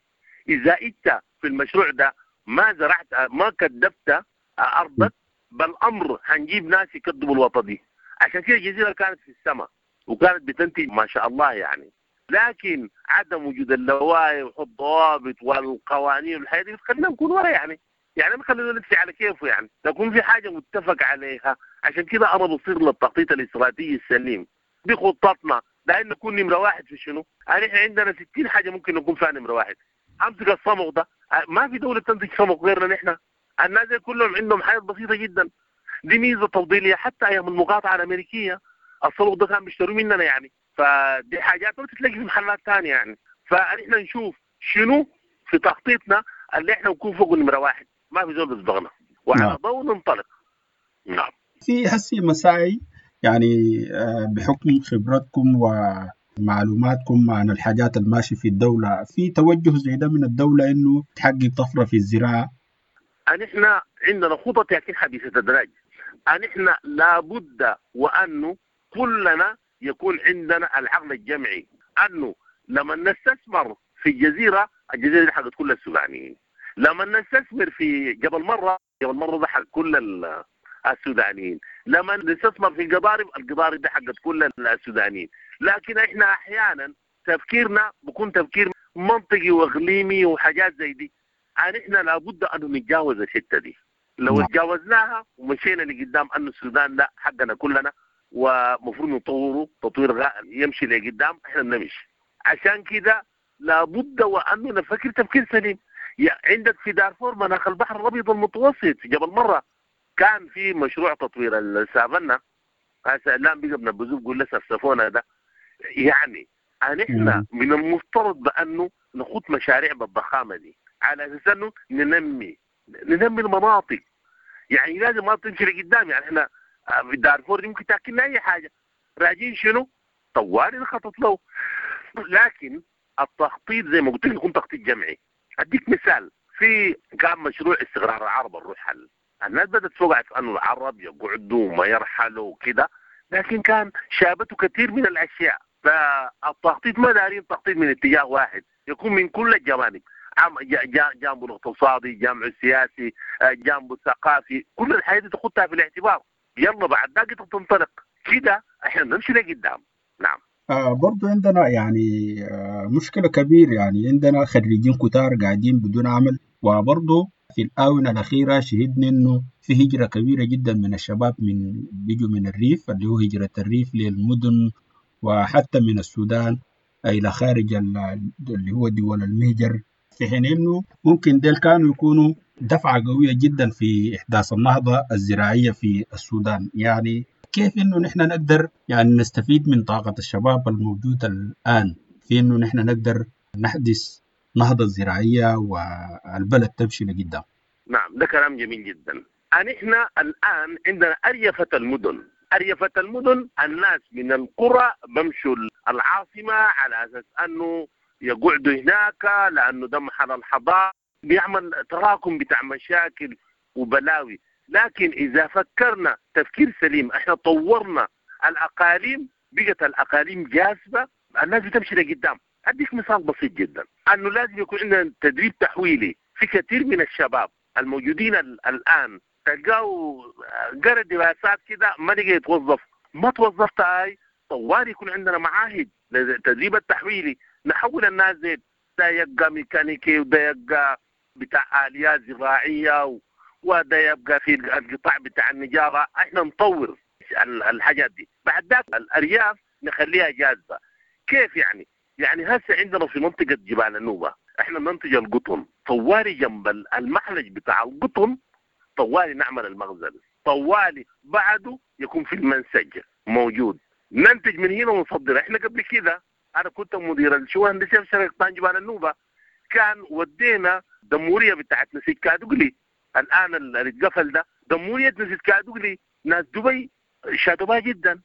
إذا أنت في المشروع ده ما زرعت ما كدبت أرضك، بالأمر هنجيب ناس يكدبوا الوطن دي. عشان كده الجزيرة كانت في السماء وكانت بتنتج ما شاء الله يعني. لكن عدم وجود اللوائح والضوابط والقوانين والحاجات دي بتخلينا نكون ورا، يعني يعني ما خلينا نمشي على كيفه، يعني تكون في حاجة متفق عليها. عشان كده انا بصير للتخطيط الاستراتيجي السليم دي خطتنا، لان نكون نمره واحد في شنو؟ يعني احنا عندنا ستين حاجة ممكن نكون فيها نمره واحد. امسك الصمغ ده، ما في دولة تنتج صمغ غيرنا نحن. الناس كلهم عندهم حاجات بسيطة جدا، دي ميزة تفضيليه. حتى ايام المقاطعة الامريكية الصمغ ده كان بيشتروه مننا يعني، فدي حاجات ما بتتلاقي في محلات ثانية يعني. فاحنا نشوف شنو في تخطيطنا اللي احنا نكون فوق نمره واحد، ما في زول بيسبقنا، وعلى ضوء ننطلق. نعم، في هسي مساعي يعني بحكم خبرتكم ومعلوماتكم عن الحاجات الماشية في الدولة، في توجه زي ده من الدولة انه تحقق طفرة في الزراعة؟ نحن عندنا خطط لكن حديثه التدرج. نحن لابد وانه كلنا يكون عندنا العقل الجمعي، انه لما نستثمر في الجزيرة، الجزيرة دي حقت كل السودانيين. لما نستثمر في جبل مرة، جبل مرة ده حق كل السودانيين. لما نستثمر في القضارب، القضارب ده حقت كل السودانيين. لكن احنا احيانا تفكيرنا بيكون تفكير منطقي واقليمي وحاجات زي دي. احنا لابد ان نتجاوز الحتة دي. لو تجاوزناها ومشينا لقدام انه السودان ده حقنا كلنا ومفروض نطوره تطوير يمشي لقدام، احنا بنمشي. عشان كده لابد وانه نفكر تفكير سليم. يعني عندك في دارفور مناخ البحر الابيض المتوسط في جبل مرة كان في مشروع تطوير السافنة، هسه الان بقى بنبذوه بيقول لسه السفونه ده. يعني نحن من المفترض بانه نخوض مشاريع بالضخامه دي على اساس انه ننمي ننمي المناطق. يعني لازم ما تمشي لقدام. يعني احنا في دارفور دي ممكن تاكلنا اي حاجة، راجين شنو؟ طوالي نخطط له. لكن التخطيط زي ما قلت لك يكون تخطيط جمعي. اديك مثال، في كان مشروع استقرار العرب الرحل، الناس بدات توقع في انه العرب يقعدوا وما يرحلوا وكده، لكن كان شابته كثير من الاشياء. فالتخطيط ما دارين تخطيط من اتجاه واحد، يكون من كل الجوانب، جانبه الاقتصادي، جانبه السياسي، جانبه الثقافي، كل الحاجات دي تاخدها في الاعتبار. يلا بعد ذاك تنطلق كده احنا نمشي لقدام. نعم. آه برضو عندنا يعني آه مشكلة كبيرة، يعني عندنا خريجين كتار قاعدين بدون عمل، وبرضو في الآونة الأخيرة شهدنا إنه في هجرة كبيرة جدا من الشباب من بيجوا من الريف، اللي هو هجرة الريف للمدن، وحتى من السودان إلى خارج اللي هو دول المهجر، في حين إنه ممكن ديل كانوا يكونوا دفعة قوية جدا في إحداث النهضة الزراعية في السودان. يعني كيف إنه نحن نقدر يعني نستفيد من طاقة الشباب الموجودة الآن في إنه نحن نقدر نحدث نهضة زراعية والبلد تمشي لقدام؟ نعم، ده كلام جميل جدا. نحن الآن عندنا أريفة المدن، أريفة المدن الناس من القرى بمشوا العاصمة على أساس أنه يقعدوا هناك لأنه ده محل الحضارة، بيعمل تراكم بتاع مشاكل وبلاوي. لكن إذا فكرنا تفكير سليم، احنا طورنا الأقاليم، بقت الأقاليم جاذبة، الناس بتمشي لقدام. أديك مثال بسيط جدا، أنه لازم يكون عندنا تدريب تحويلي. في كثير من الشباب الموجودين الآن تلقاه قرأ دراسات كده ما لقى يتوظف، ما توظفت هاي طوال يكون عندنا معاهد للتدريب التحويلي، نحول الناس زي ده يبقى ميكانيكي وده يبقى بتاع آليات زراعية وده يبقى في القطاع بتاع النجارة. احنا نطور الحاجات دي، بعد ذاك الأرياف نخليها جاذبة. كيف يعني؟ يعني هسه عندنا في منطقة جبال النوبة احنا ننتج القطن، طوالي جنب المحلج بتاع القطن طوالي نعمل المخزن، طوالي بعده يكون في المنسج موجود، ننتج من هنا ونصدر. احنا قبل كده انا كنت مدير الشؤون الهندسية في شركة طان جبال النوبة، كان ودينا دموريه بتاعت نسيج كادوغلي الان اللي اتقفل ده، دموريه نسيج كادوغلي ناس دبي شادوبها جدا.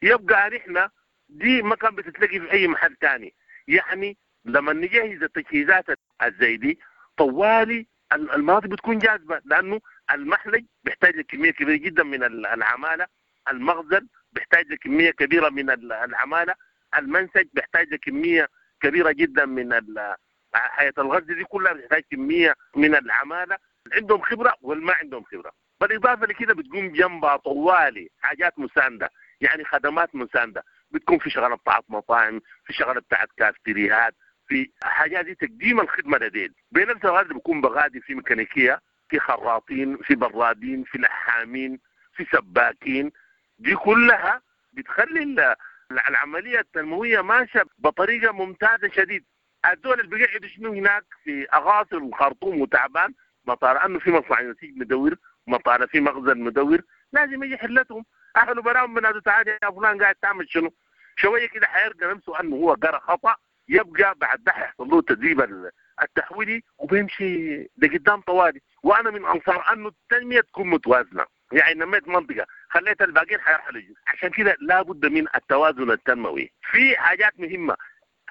يبقى احنا دي ما كان بتتلاقي في اي محل تاني. يعني لما نجهز التجهيزات الزي دي طوالي المناطق بتكون جاذبة، لانه المحلج بيحتاج لكميه كبيرة جدا من العمالة، المخزن بيحتاج لكميه كبيرة من العمالة، المنسج بيحتاج لكميه كبيرة جدا من حياة الغزل دي كلها بتحتاج كمية من العمالة، عندهم خبره والما عندهم خبره. بالاضافة لكده بتقوم جنبها طوالي حاجات مساندة، يعني خدمات مساندة، بتكون في شغله بتاعت مطاعم، في شغله بتاعت كافتريهات، في حاجات دي تقديم الخدمة لديل. بنفس الوقت بيكون بغادي في ميكانيكية، في خراطين، في برادين، في لحامين، في سباكين، دي كلها بتخلي العملية التنموية ماشية بطريقة ممتازة شديد. الدول اللي بيقعدوا شنو هناك في اغاصر الخرطوم وتعبان، مطار انه في مصنع نسيج مدور، مطار في مخزن مدور، لازم يجي حلتهم اهله براهم بنادوا تعال يا فلان قاعد تعمل شنو؟ شوية كده حيرجع نفسه انه هو قرا خطا، يبقى بعد ده حيحصل له التدريب التحويلي وبيمشي لقدام طوالي. وانا من انصار انه التنمية تكون متوازنة، يعني نميت منطقة خليت الباقيين حيرحلوا، عشان كده لابد من التوازن التنموي. في حاجات مهمة،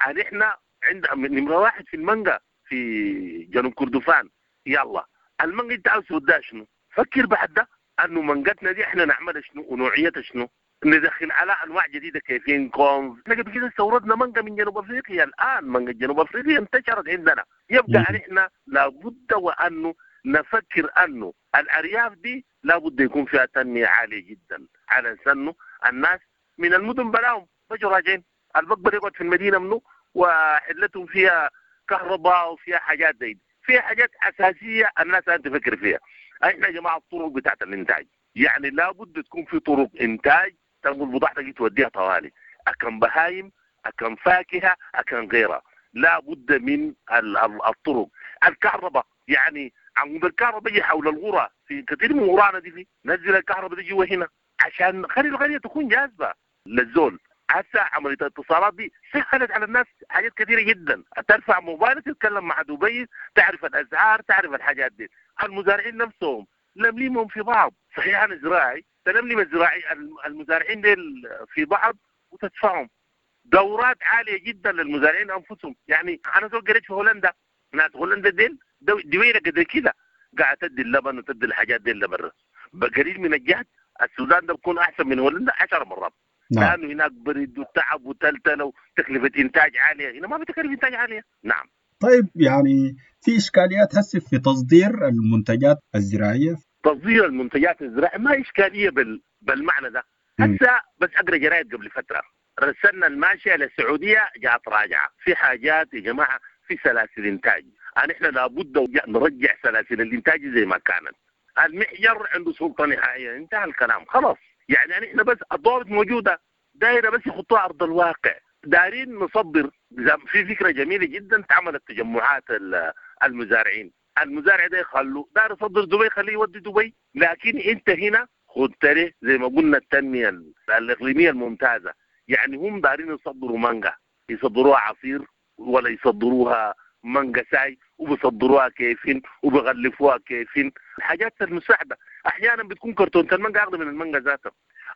يعني احنا عند نمره واحد في المانجا في جنوب كردفان، يلا المانجا انت عاوز توديها شنو؟ فكر بعد ده انه منجتنا دي احنا نعملها شنو ونوعيتها شنو؟ ندخل على انواع جديدة كيفين كونز. احنا قبل كده استوردنا مانجا من جنوب افريقيا، الان مانجا جنوب افريقيا انتشرت عندنا. يبقى احنا لابد وانه نفكر انه الارياف دي لابد يكون فيها تنمية عالية جدا، على انه الناس من المدن بلاهم بيجوا راجعين، البقبر يقعد في المدينة منه وحلتهم فيها كهرباء وفيها حاجات زي دي، فيها حاجات اساسية الناس لازم تفكر فيها. احنا يا جماعة الطرق بتاعت الانتاج، يعني لابد تكون في طرق انتاج تنقل بضاعتك توديها طوالي، اكن بهايم، اكن فاكهة، اكن غيرها، لابد من الطرق. الكهرباء، يعني عمود الكهرباء يجي حول الغرة في كثير من غرانا دي، في نزل الكهرباء دي جوا هنا عشان خلي القرية تكون جاذبة للزول. هسه عملية الاتصالات دي سهلت على الناس حاجات كثيرة جدا، ترفع موبايلك تتكلم مع دبي، تعرف الاسعار، تعرف الحاجات دي. المزارعين نفسهم لملمهم في بعض، صحيح انا زراعي تلملم الزراعي المزارعين ديل في بعض وتدفعهم دورات عالية جدا للمزارعين انفسهم. يعني انا زول قريت في هولندا، ناس هولندا ديل دويره قدر كده قاعدة تدي اللبن وتدي الحاجات دي لبرا بقليل من الجهد. السودان ده بيكون احسن من هولندا عشر مرات. نعم. لانه هناك برد وتعب وتلتله وتكلفة انتاج عالية، هنا ما في تكلفة انتاج عالية. نعم. طيب يعني في اشكاليات هسه في تصدير المنتجات الزراعية؟ تصدير المنتجات الزراعية ما اشكالية بال... بالمعنى ده. هسه بس اقرا جرايد قبل فترة، رسلنا الماشية للسعودية جاءت راجعه، في حاجات يا جماعة في سلاسل انتاج، يعني احنا لابد نرجع سلاسل الانتاج زي ما كانت. المحجر عنده سلطة نهائية، انتهى الكلام خلاص. يعني احنا بس الضوابط موجودة، دايرة بس يحطوها ارض الواقع. دارين نصدر، في فكرة جميلة جدا تعملت تجمعات المزارعين، المزارع ده يخلوه دار يصدر دبي خليه يودي دبي، لكن انت هنا خد تري زي ما قلنا التنمية الاقليمية الممتازة. يعني هم دارين يصدروا مانجا، يصدروها عصير ولا يصدروها مانجا ساي، وبيصدروها كيفين وبغلفوها كيفين، الحاجات المساعدة. احيانا بتكون كرتونة المانجا اغلى من المانجا ذاتها.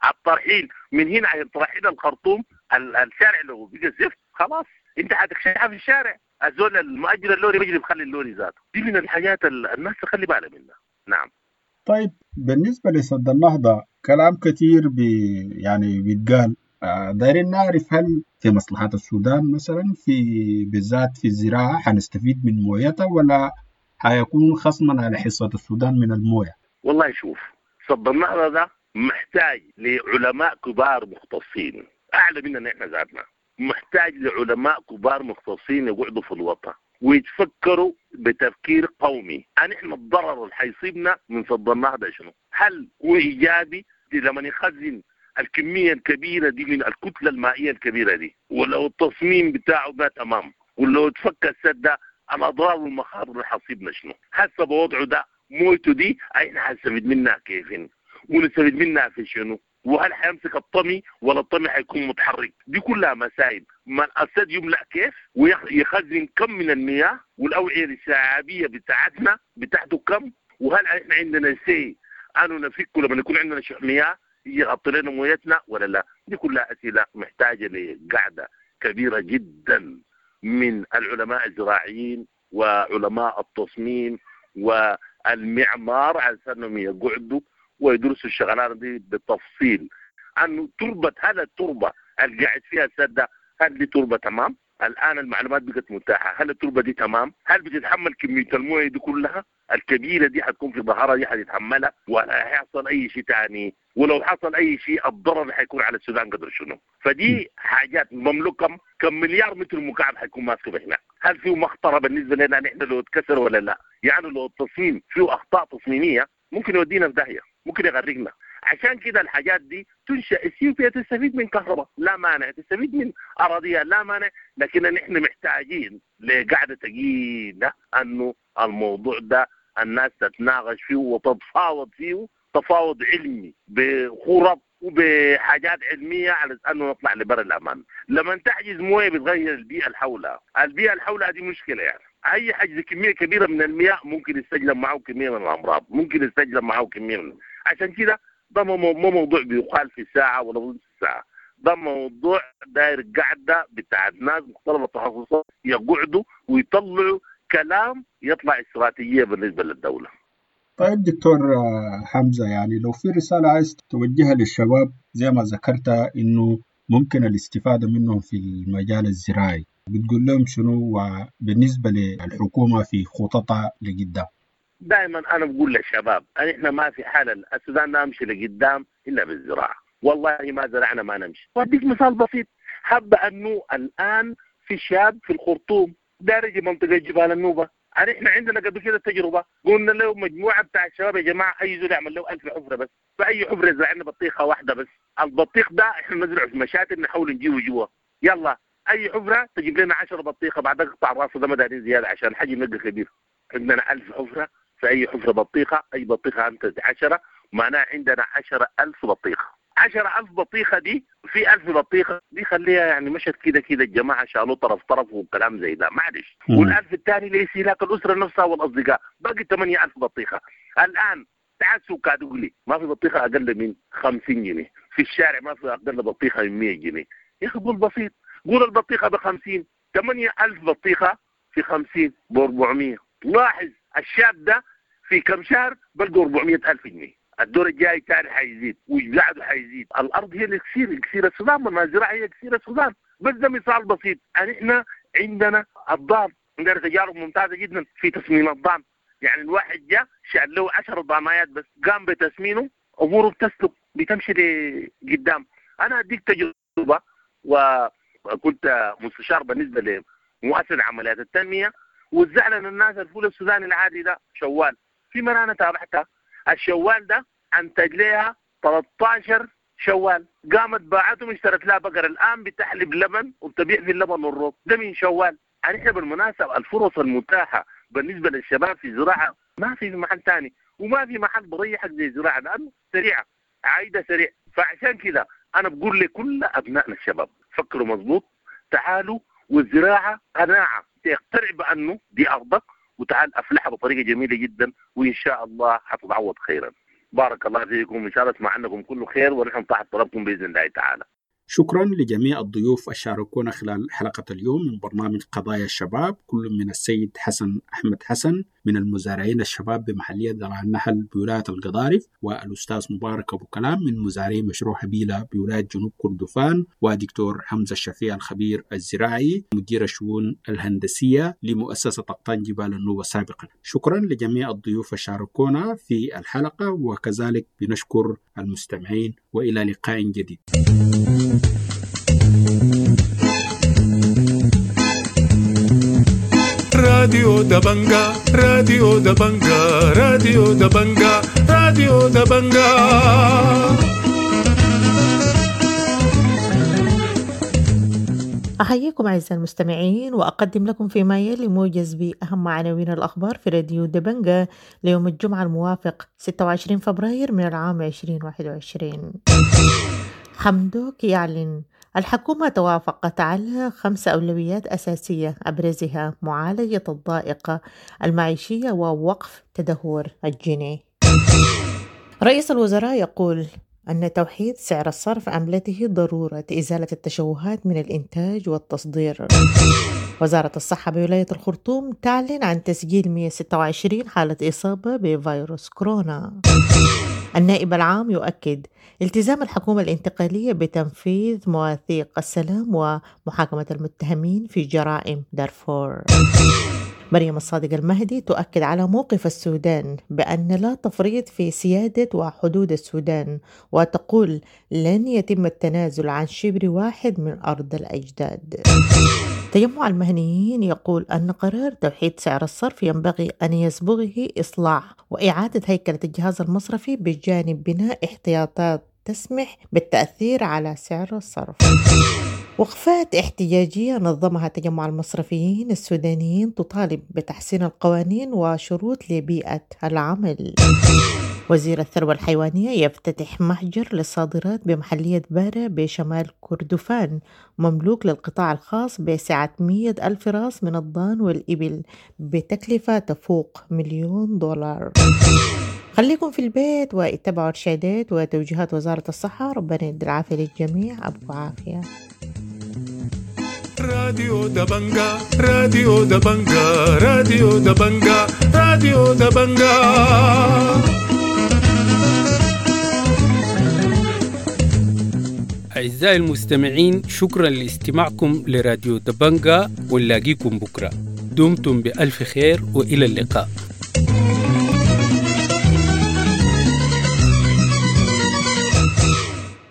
الترحيل من هنا على ترحيل الخرطوم، الشارع لو بقى زفت خلاص انت حتكشحها في الشارع. الزول المؤجر اللوري بيجري بخلي اللوري ذاته. دي من الحاجات الناس تخلي بالها منها. نعم. طيب بالنسبة لسد النهضة كلام كثير بي يعني بيتقال، دايرين نعرف هل في مصلحة السودان مثلا في بالذات في الزراعة حنستفيد من مويتها ولا حيكون خصما على حصة السودان من الموية؟ والله شوف، سد النهضة ده محتاج لعلماء كبار مختصين أعلى مننا إحنا ذاتنا، محتاج لعلماء كبار مختصين يقعدوا في الوطن ويتفكروا بتفكير قومي. نحن الضرر اللي حيصيبنا من سد النهضة شنو؟ هل هو إيجابي لما يخزن الكمية الكبيرة دي من الكتلة المائية الكبيرة دي، ولو التصميم بتاعه ده تمام، ولو تفك السد ده الأضرار والمخاطر اللي حتصيبنا شنو؟ هسه بوضعه ده مويته دي احنا حنستفيد منها كيف؟ ونستفيد منها في شنو؟ وهل حيمسك الطمي ولا الطمي حيكون متحرك؟ دي كلها مسائل. ما السد يملأ كيف ويخزن كم من المياه، والأوعية الشعبية بتاعتنا بتاعته كم، وهل احنا عندنا سي انه نفكه لما يكون عندنا شح مياه يغطي لنا مويتنا ولا لا؟ دي كلها أسئلة محتاجة لقعدة كبيرة جدا من العلماء الزراعيين وعلماء التصميم والمعمار على انهم يقعدوا ويدرسوا الشغلانة دي بالتفصيل. انه تربه، هل التربة اللي قاعد فيها السد هل دي تربه تمام؟ الان المعلومات بقت متاحة، هل التربة دي تمام؟ هل بتتحمل كمية المويه دي كلها الكبيرة دي حتكون في ظهرها دي حتتحملها ولا حيحصل اي شيء ثاني؟ ولو حصل اي شيء الضرر اللي حيكون على السودان قدر شنو؟ فدي حاجات مملوكة كم مليار متر مكعب حيكون ماسكه هناك. هل فيه مخطره بالنسبة لنا نحن لو اتكسر ولا لا؟ يعني لو التصميم فيه اخطاء تصميميه ممكن يودينا في داهية، ممكن يغرقنا. عشان كده الحاجات دي تنشأ. اثيوبيا تستفيد من كهرباء لا مانع، تستفيد من اراضيها لا مانع، لكن نحن محتاجين لقعده ثقيلة انه الموضوع ده الناس تتناقش فيه وتتفاوض فيه تفاوض علمي بخرط وبحاجات علمية على انه نطلع لبر الامان. لما تحجز مويه بتغير البيئة اللي حولها، البيئة اللي حولها دي مشكلة. يعني اي حجز كمية كبيرة من المياه ممكن يستجلب معه كمية من الامراض، ممكن يستجلب معه كمية من، عشان كده ده مو موضوع بيقال في ساعة ولا نص ساعة، ده موضوع داير قعدة بتاعت ناس مختلف التخصصات يقعدوا ويطلعوا كلام يطلع استراتيجية بالنسبة للدولة. طيب دكتور حمزة، يعني لو في رسالة عايز توجهها للشباب زي ما ذكرت إنه ممكن الاستفادة منهم في المجال الزراعي، بتقول لهم شنو وبالنسبة للحكومة في خططها لقدام؟ دائما أنا بقول للشباب احنا ما في حال السودان نمشي لقدام إلا بالزراعة، والله ما زرعنا ما نمشي. وأديك مثال بسيط، حب أنه الآن في شاب في الخرطوم دارج منطقة جبال النوبة، احنا عندنا قبل كده تجربة قلنا له مجموعة بتاع الشباب يا جماعة أي زول يعمل له ألف حفرة بس، فأي حفرة زرعنا بطيخة واحدة بس، البطيخ ده احنا نزرعه في مشاتل نحاول نجيبه جوا، يلا أي حفرة تجيب لنا عشرة بطيخة، بعد اقطع راسه ده ما دارين زيادة عشان الحجم يبقى كبير. عندنا ألف حفرة، في أي حفرة بطيخة، أي بطيخة أنت عشرة، معناها عندنا عشرة ألف بطيخة. عشرة ألف بطيخة دي في ألف بطيخة دي خليها يعني مشت كده كده الجماعة شالوا طرف طرف وكلام زي ده معلش، والألف الثاني لاستهلاك الأسرة نفسها والأصدقاء، باقي ثمانية ألف بطيخة. الآن تعال سوق كادوغلي ما في بطيخة أقل من خمسين جنيه، في الشارع ما في أقل بطيخة من مية جنيه. يا أخي قول بسيط، قول البطيخة بخمسين، ثمانية ألف بطيخة في خمسين بأربعمية. لاحظ الشاب ده في كم شهر بلقوا أربعمية ألف جنيه. الدور الجاي تاني حيزيد وبعده حيزيد. الارض هي الاكسير، اكسير السودان، ما الزراعة هي اكسير السودان. بس ده مثال بسيط. احنا عندنا الضان، عندنا تجارب ممتازة جدا في تصميم الضان. يعني الواحد جاء شال له عشر ضانايات بس قام بتسمينه، اموره بتسلك بتمشي لقدام. انا اديك تجربه، وكنت مستشار بالنسبة لمؤسسة عمليات التنمية، وزعنا للناس الفول السوداني العادي ده شوال. في مرة انا تابعتها، الشوال ده انتج لها ثلاثة عشر شوال، قامت باعتهم اشترت لها بقر، الان بتحلب لبن وبتبيع في اللبن والروب ده من شوال. يعني احنا بالمناسبة الفرص المتاحة بالنسبة للشباب في الزراعة ما في محل ثاني، وما في محل بريحك زي الزراعة لانه سريعة عايدة سريع. فعشان كده انا بقول لكل ابنائنا الشباب فكروا مظبوط، تعالوا، والزراعة قناعة، تقتنع بانه دي ارضك وتعال افلحها بطريقة جميلة جدا، وان شاء الله حتتعوض خيرا. بارك الله فيكم، إن شاء الله اسمع عنكم كل خير، ونحن تحت طلبكم بإذن الله تعالى. شكرا لجميع الضيوف الشاركونا خلال حلقة اليوم من برنامج قضايا الشباب، كل من السيد حسن أحمد حسن من المزارعين الشباب بمحلية درع النحل بولاية القضارف، والأستاذ مبارك أبو كلام من مزارعي مشروع هبيلة بولاية جنوب كردفان، ودكتور حمزة الشفيع الخبير الزراعي مدير الشؤون الهندسية لمؤسسة أقطان جبال النوبة سابقا. شكرا لجميع الضيوف الشاركونا في الحلقة، وكذلك بنشكر المستمعين، وإلى لقاء جديد. راديو دبنجا، راديو دبنجا، راديو دبنجا، راديو دبنجا. أحييكم أعزائي المستمعين، وأقدم لكم فيما يلي موجز بأهم عناوين الأخبار في راديو دبنجا ليوم الجمعة الموافق ستة وعشرين فبراير من العام عشرين واحد وعشرين. حمدوك يعلن الحكومة توافقت على خمس أولويات أساسية أبرزها معالجة الضائقة المعيشية ووقف تدهور الجنيه. رئيس الوزراء يقول أن توحيد سعر الصرف عملته ضرورة إزالة التشوهات من الإنتاج والتصدير. وزارة الصحة بولاية الخرطوم تعلن عن تسجيل مئة وستة وعشرين حالة إصابة بفيروس كورونا. النائب العام يؤكد التزام الحكومة الانتقالية بتنفيذ مواثيق السلام ومحاكمة المتهمين في جرائم دارفور. مريم الصادق المهدي تؤكد على موقف السودان بأن لا تفريط في سيادة وحدود السودان، وتقول لن يتم التنازل عن شبر واحد من أرض الأجداد. تجمع المهنيين يقول أن قرار توحيد سعر الصرف ينبغي أن يسبغه إصلاح وإعادة هيكلة الجهاز المصرفي بجانب بناء احتياطات تسمح بالتأثير على سعر الصرف. وقفات احتجاجية نظمها تجمع المصرفيين السودانيين تطالب بتحسين القوانين وشروط لبيئة العمل. وزير الثروة الحيوانية يفتتح محجر للصادرات بمحلية بارة بشمال كردفان مملوك للقطاع الخاص بسعة مئة ألف راس من الضان والإبل بتكلفة تفوق مليون دولار. خليكم في البيت واتبعوا إرشادات وتوجيهات وزارة الصحة. ربنا يدي العافية للجميع. أبو عافية. راديو دبنجا، راديو دبنجا، راديو دبنجا، راديو دبنجا. أعزائي المستمعين، شكرا لاستماعكم لراديو دبنجا، ونلاقيكم بكرة. دمتم بألف خير وإلى اللقاء.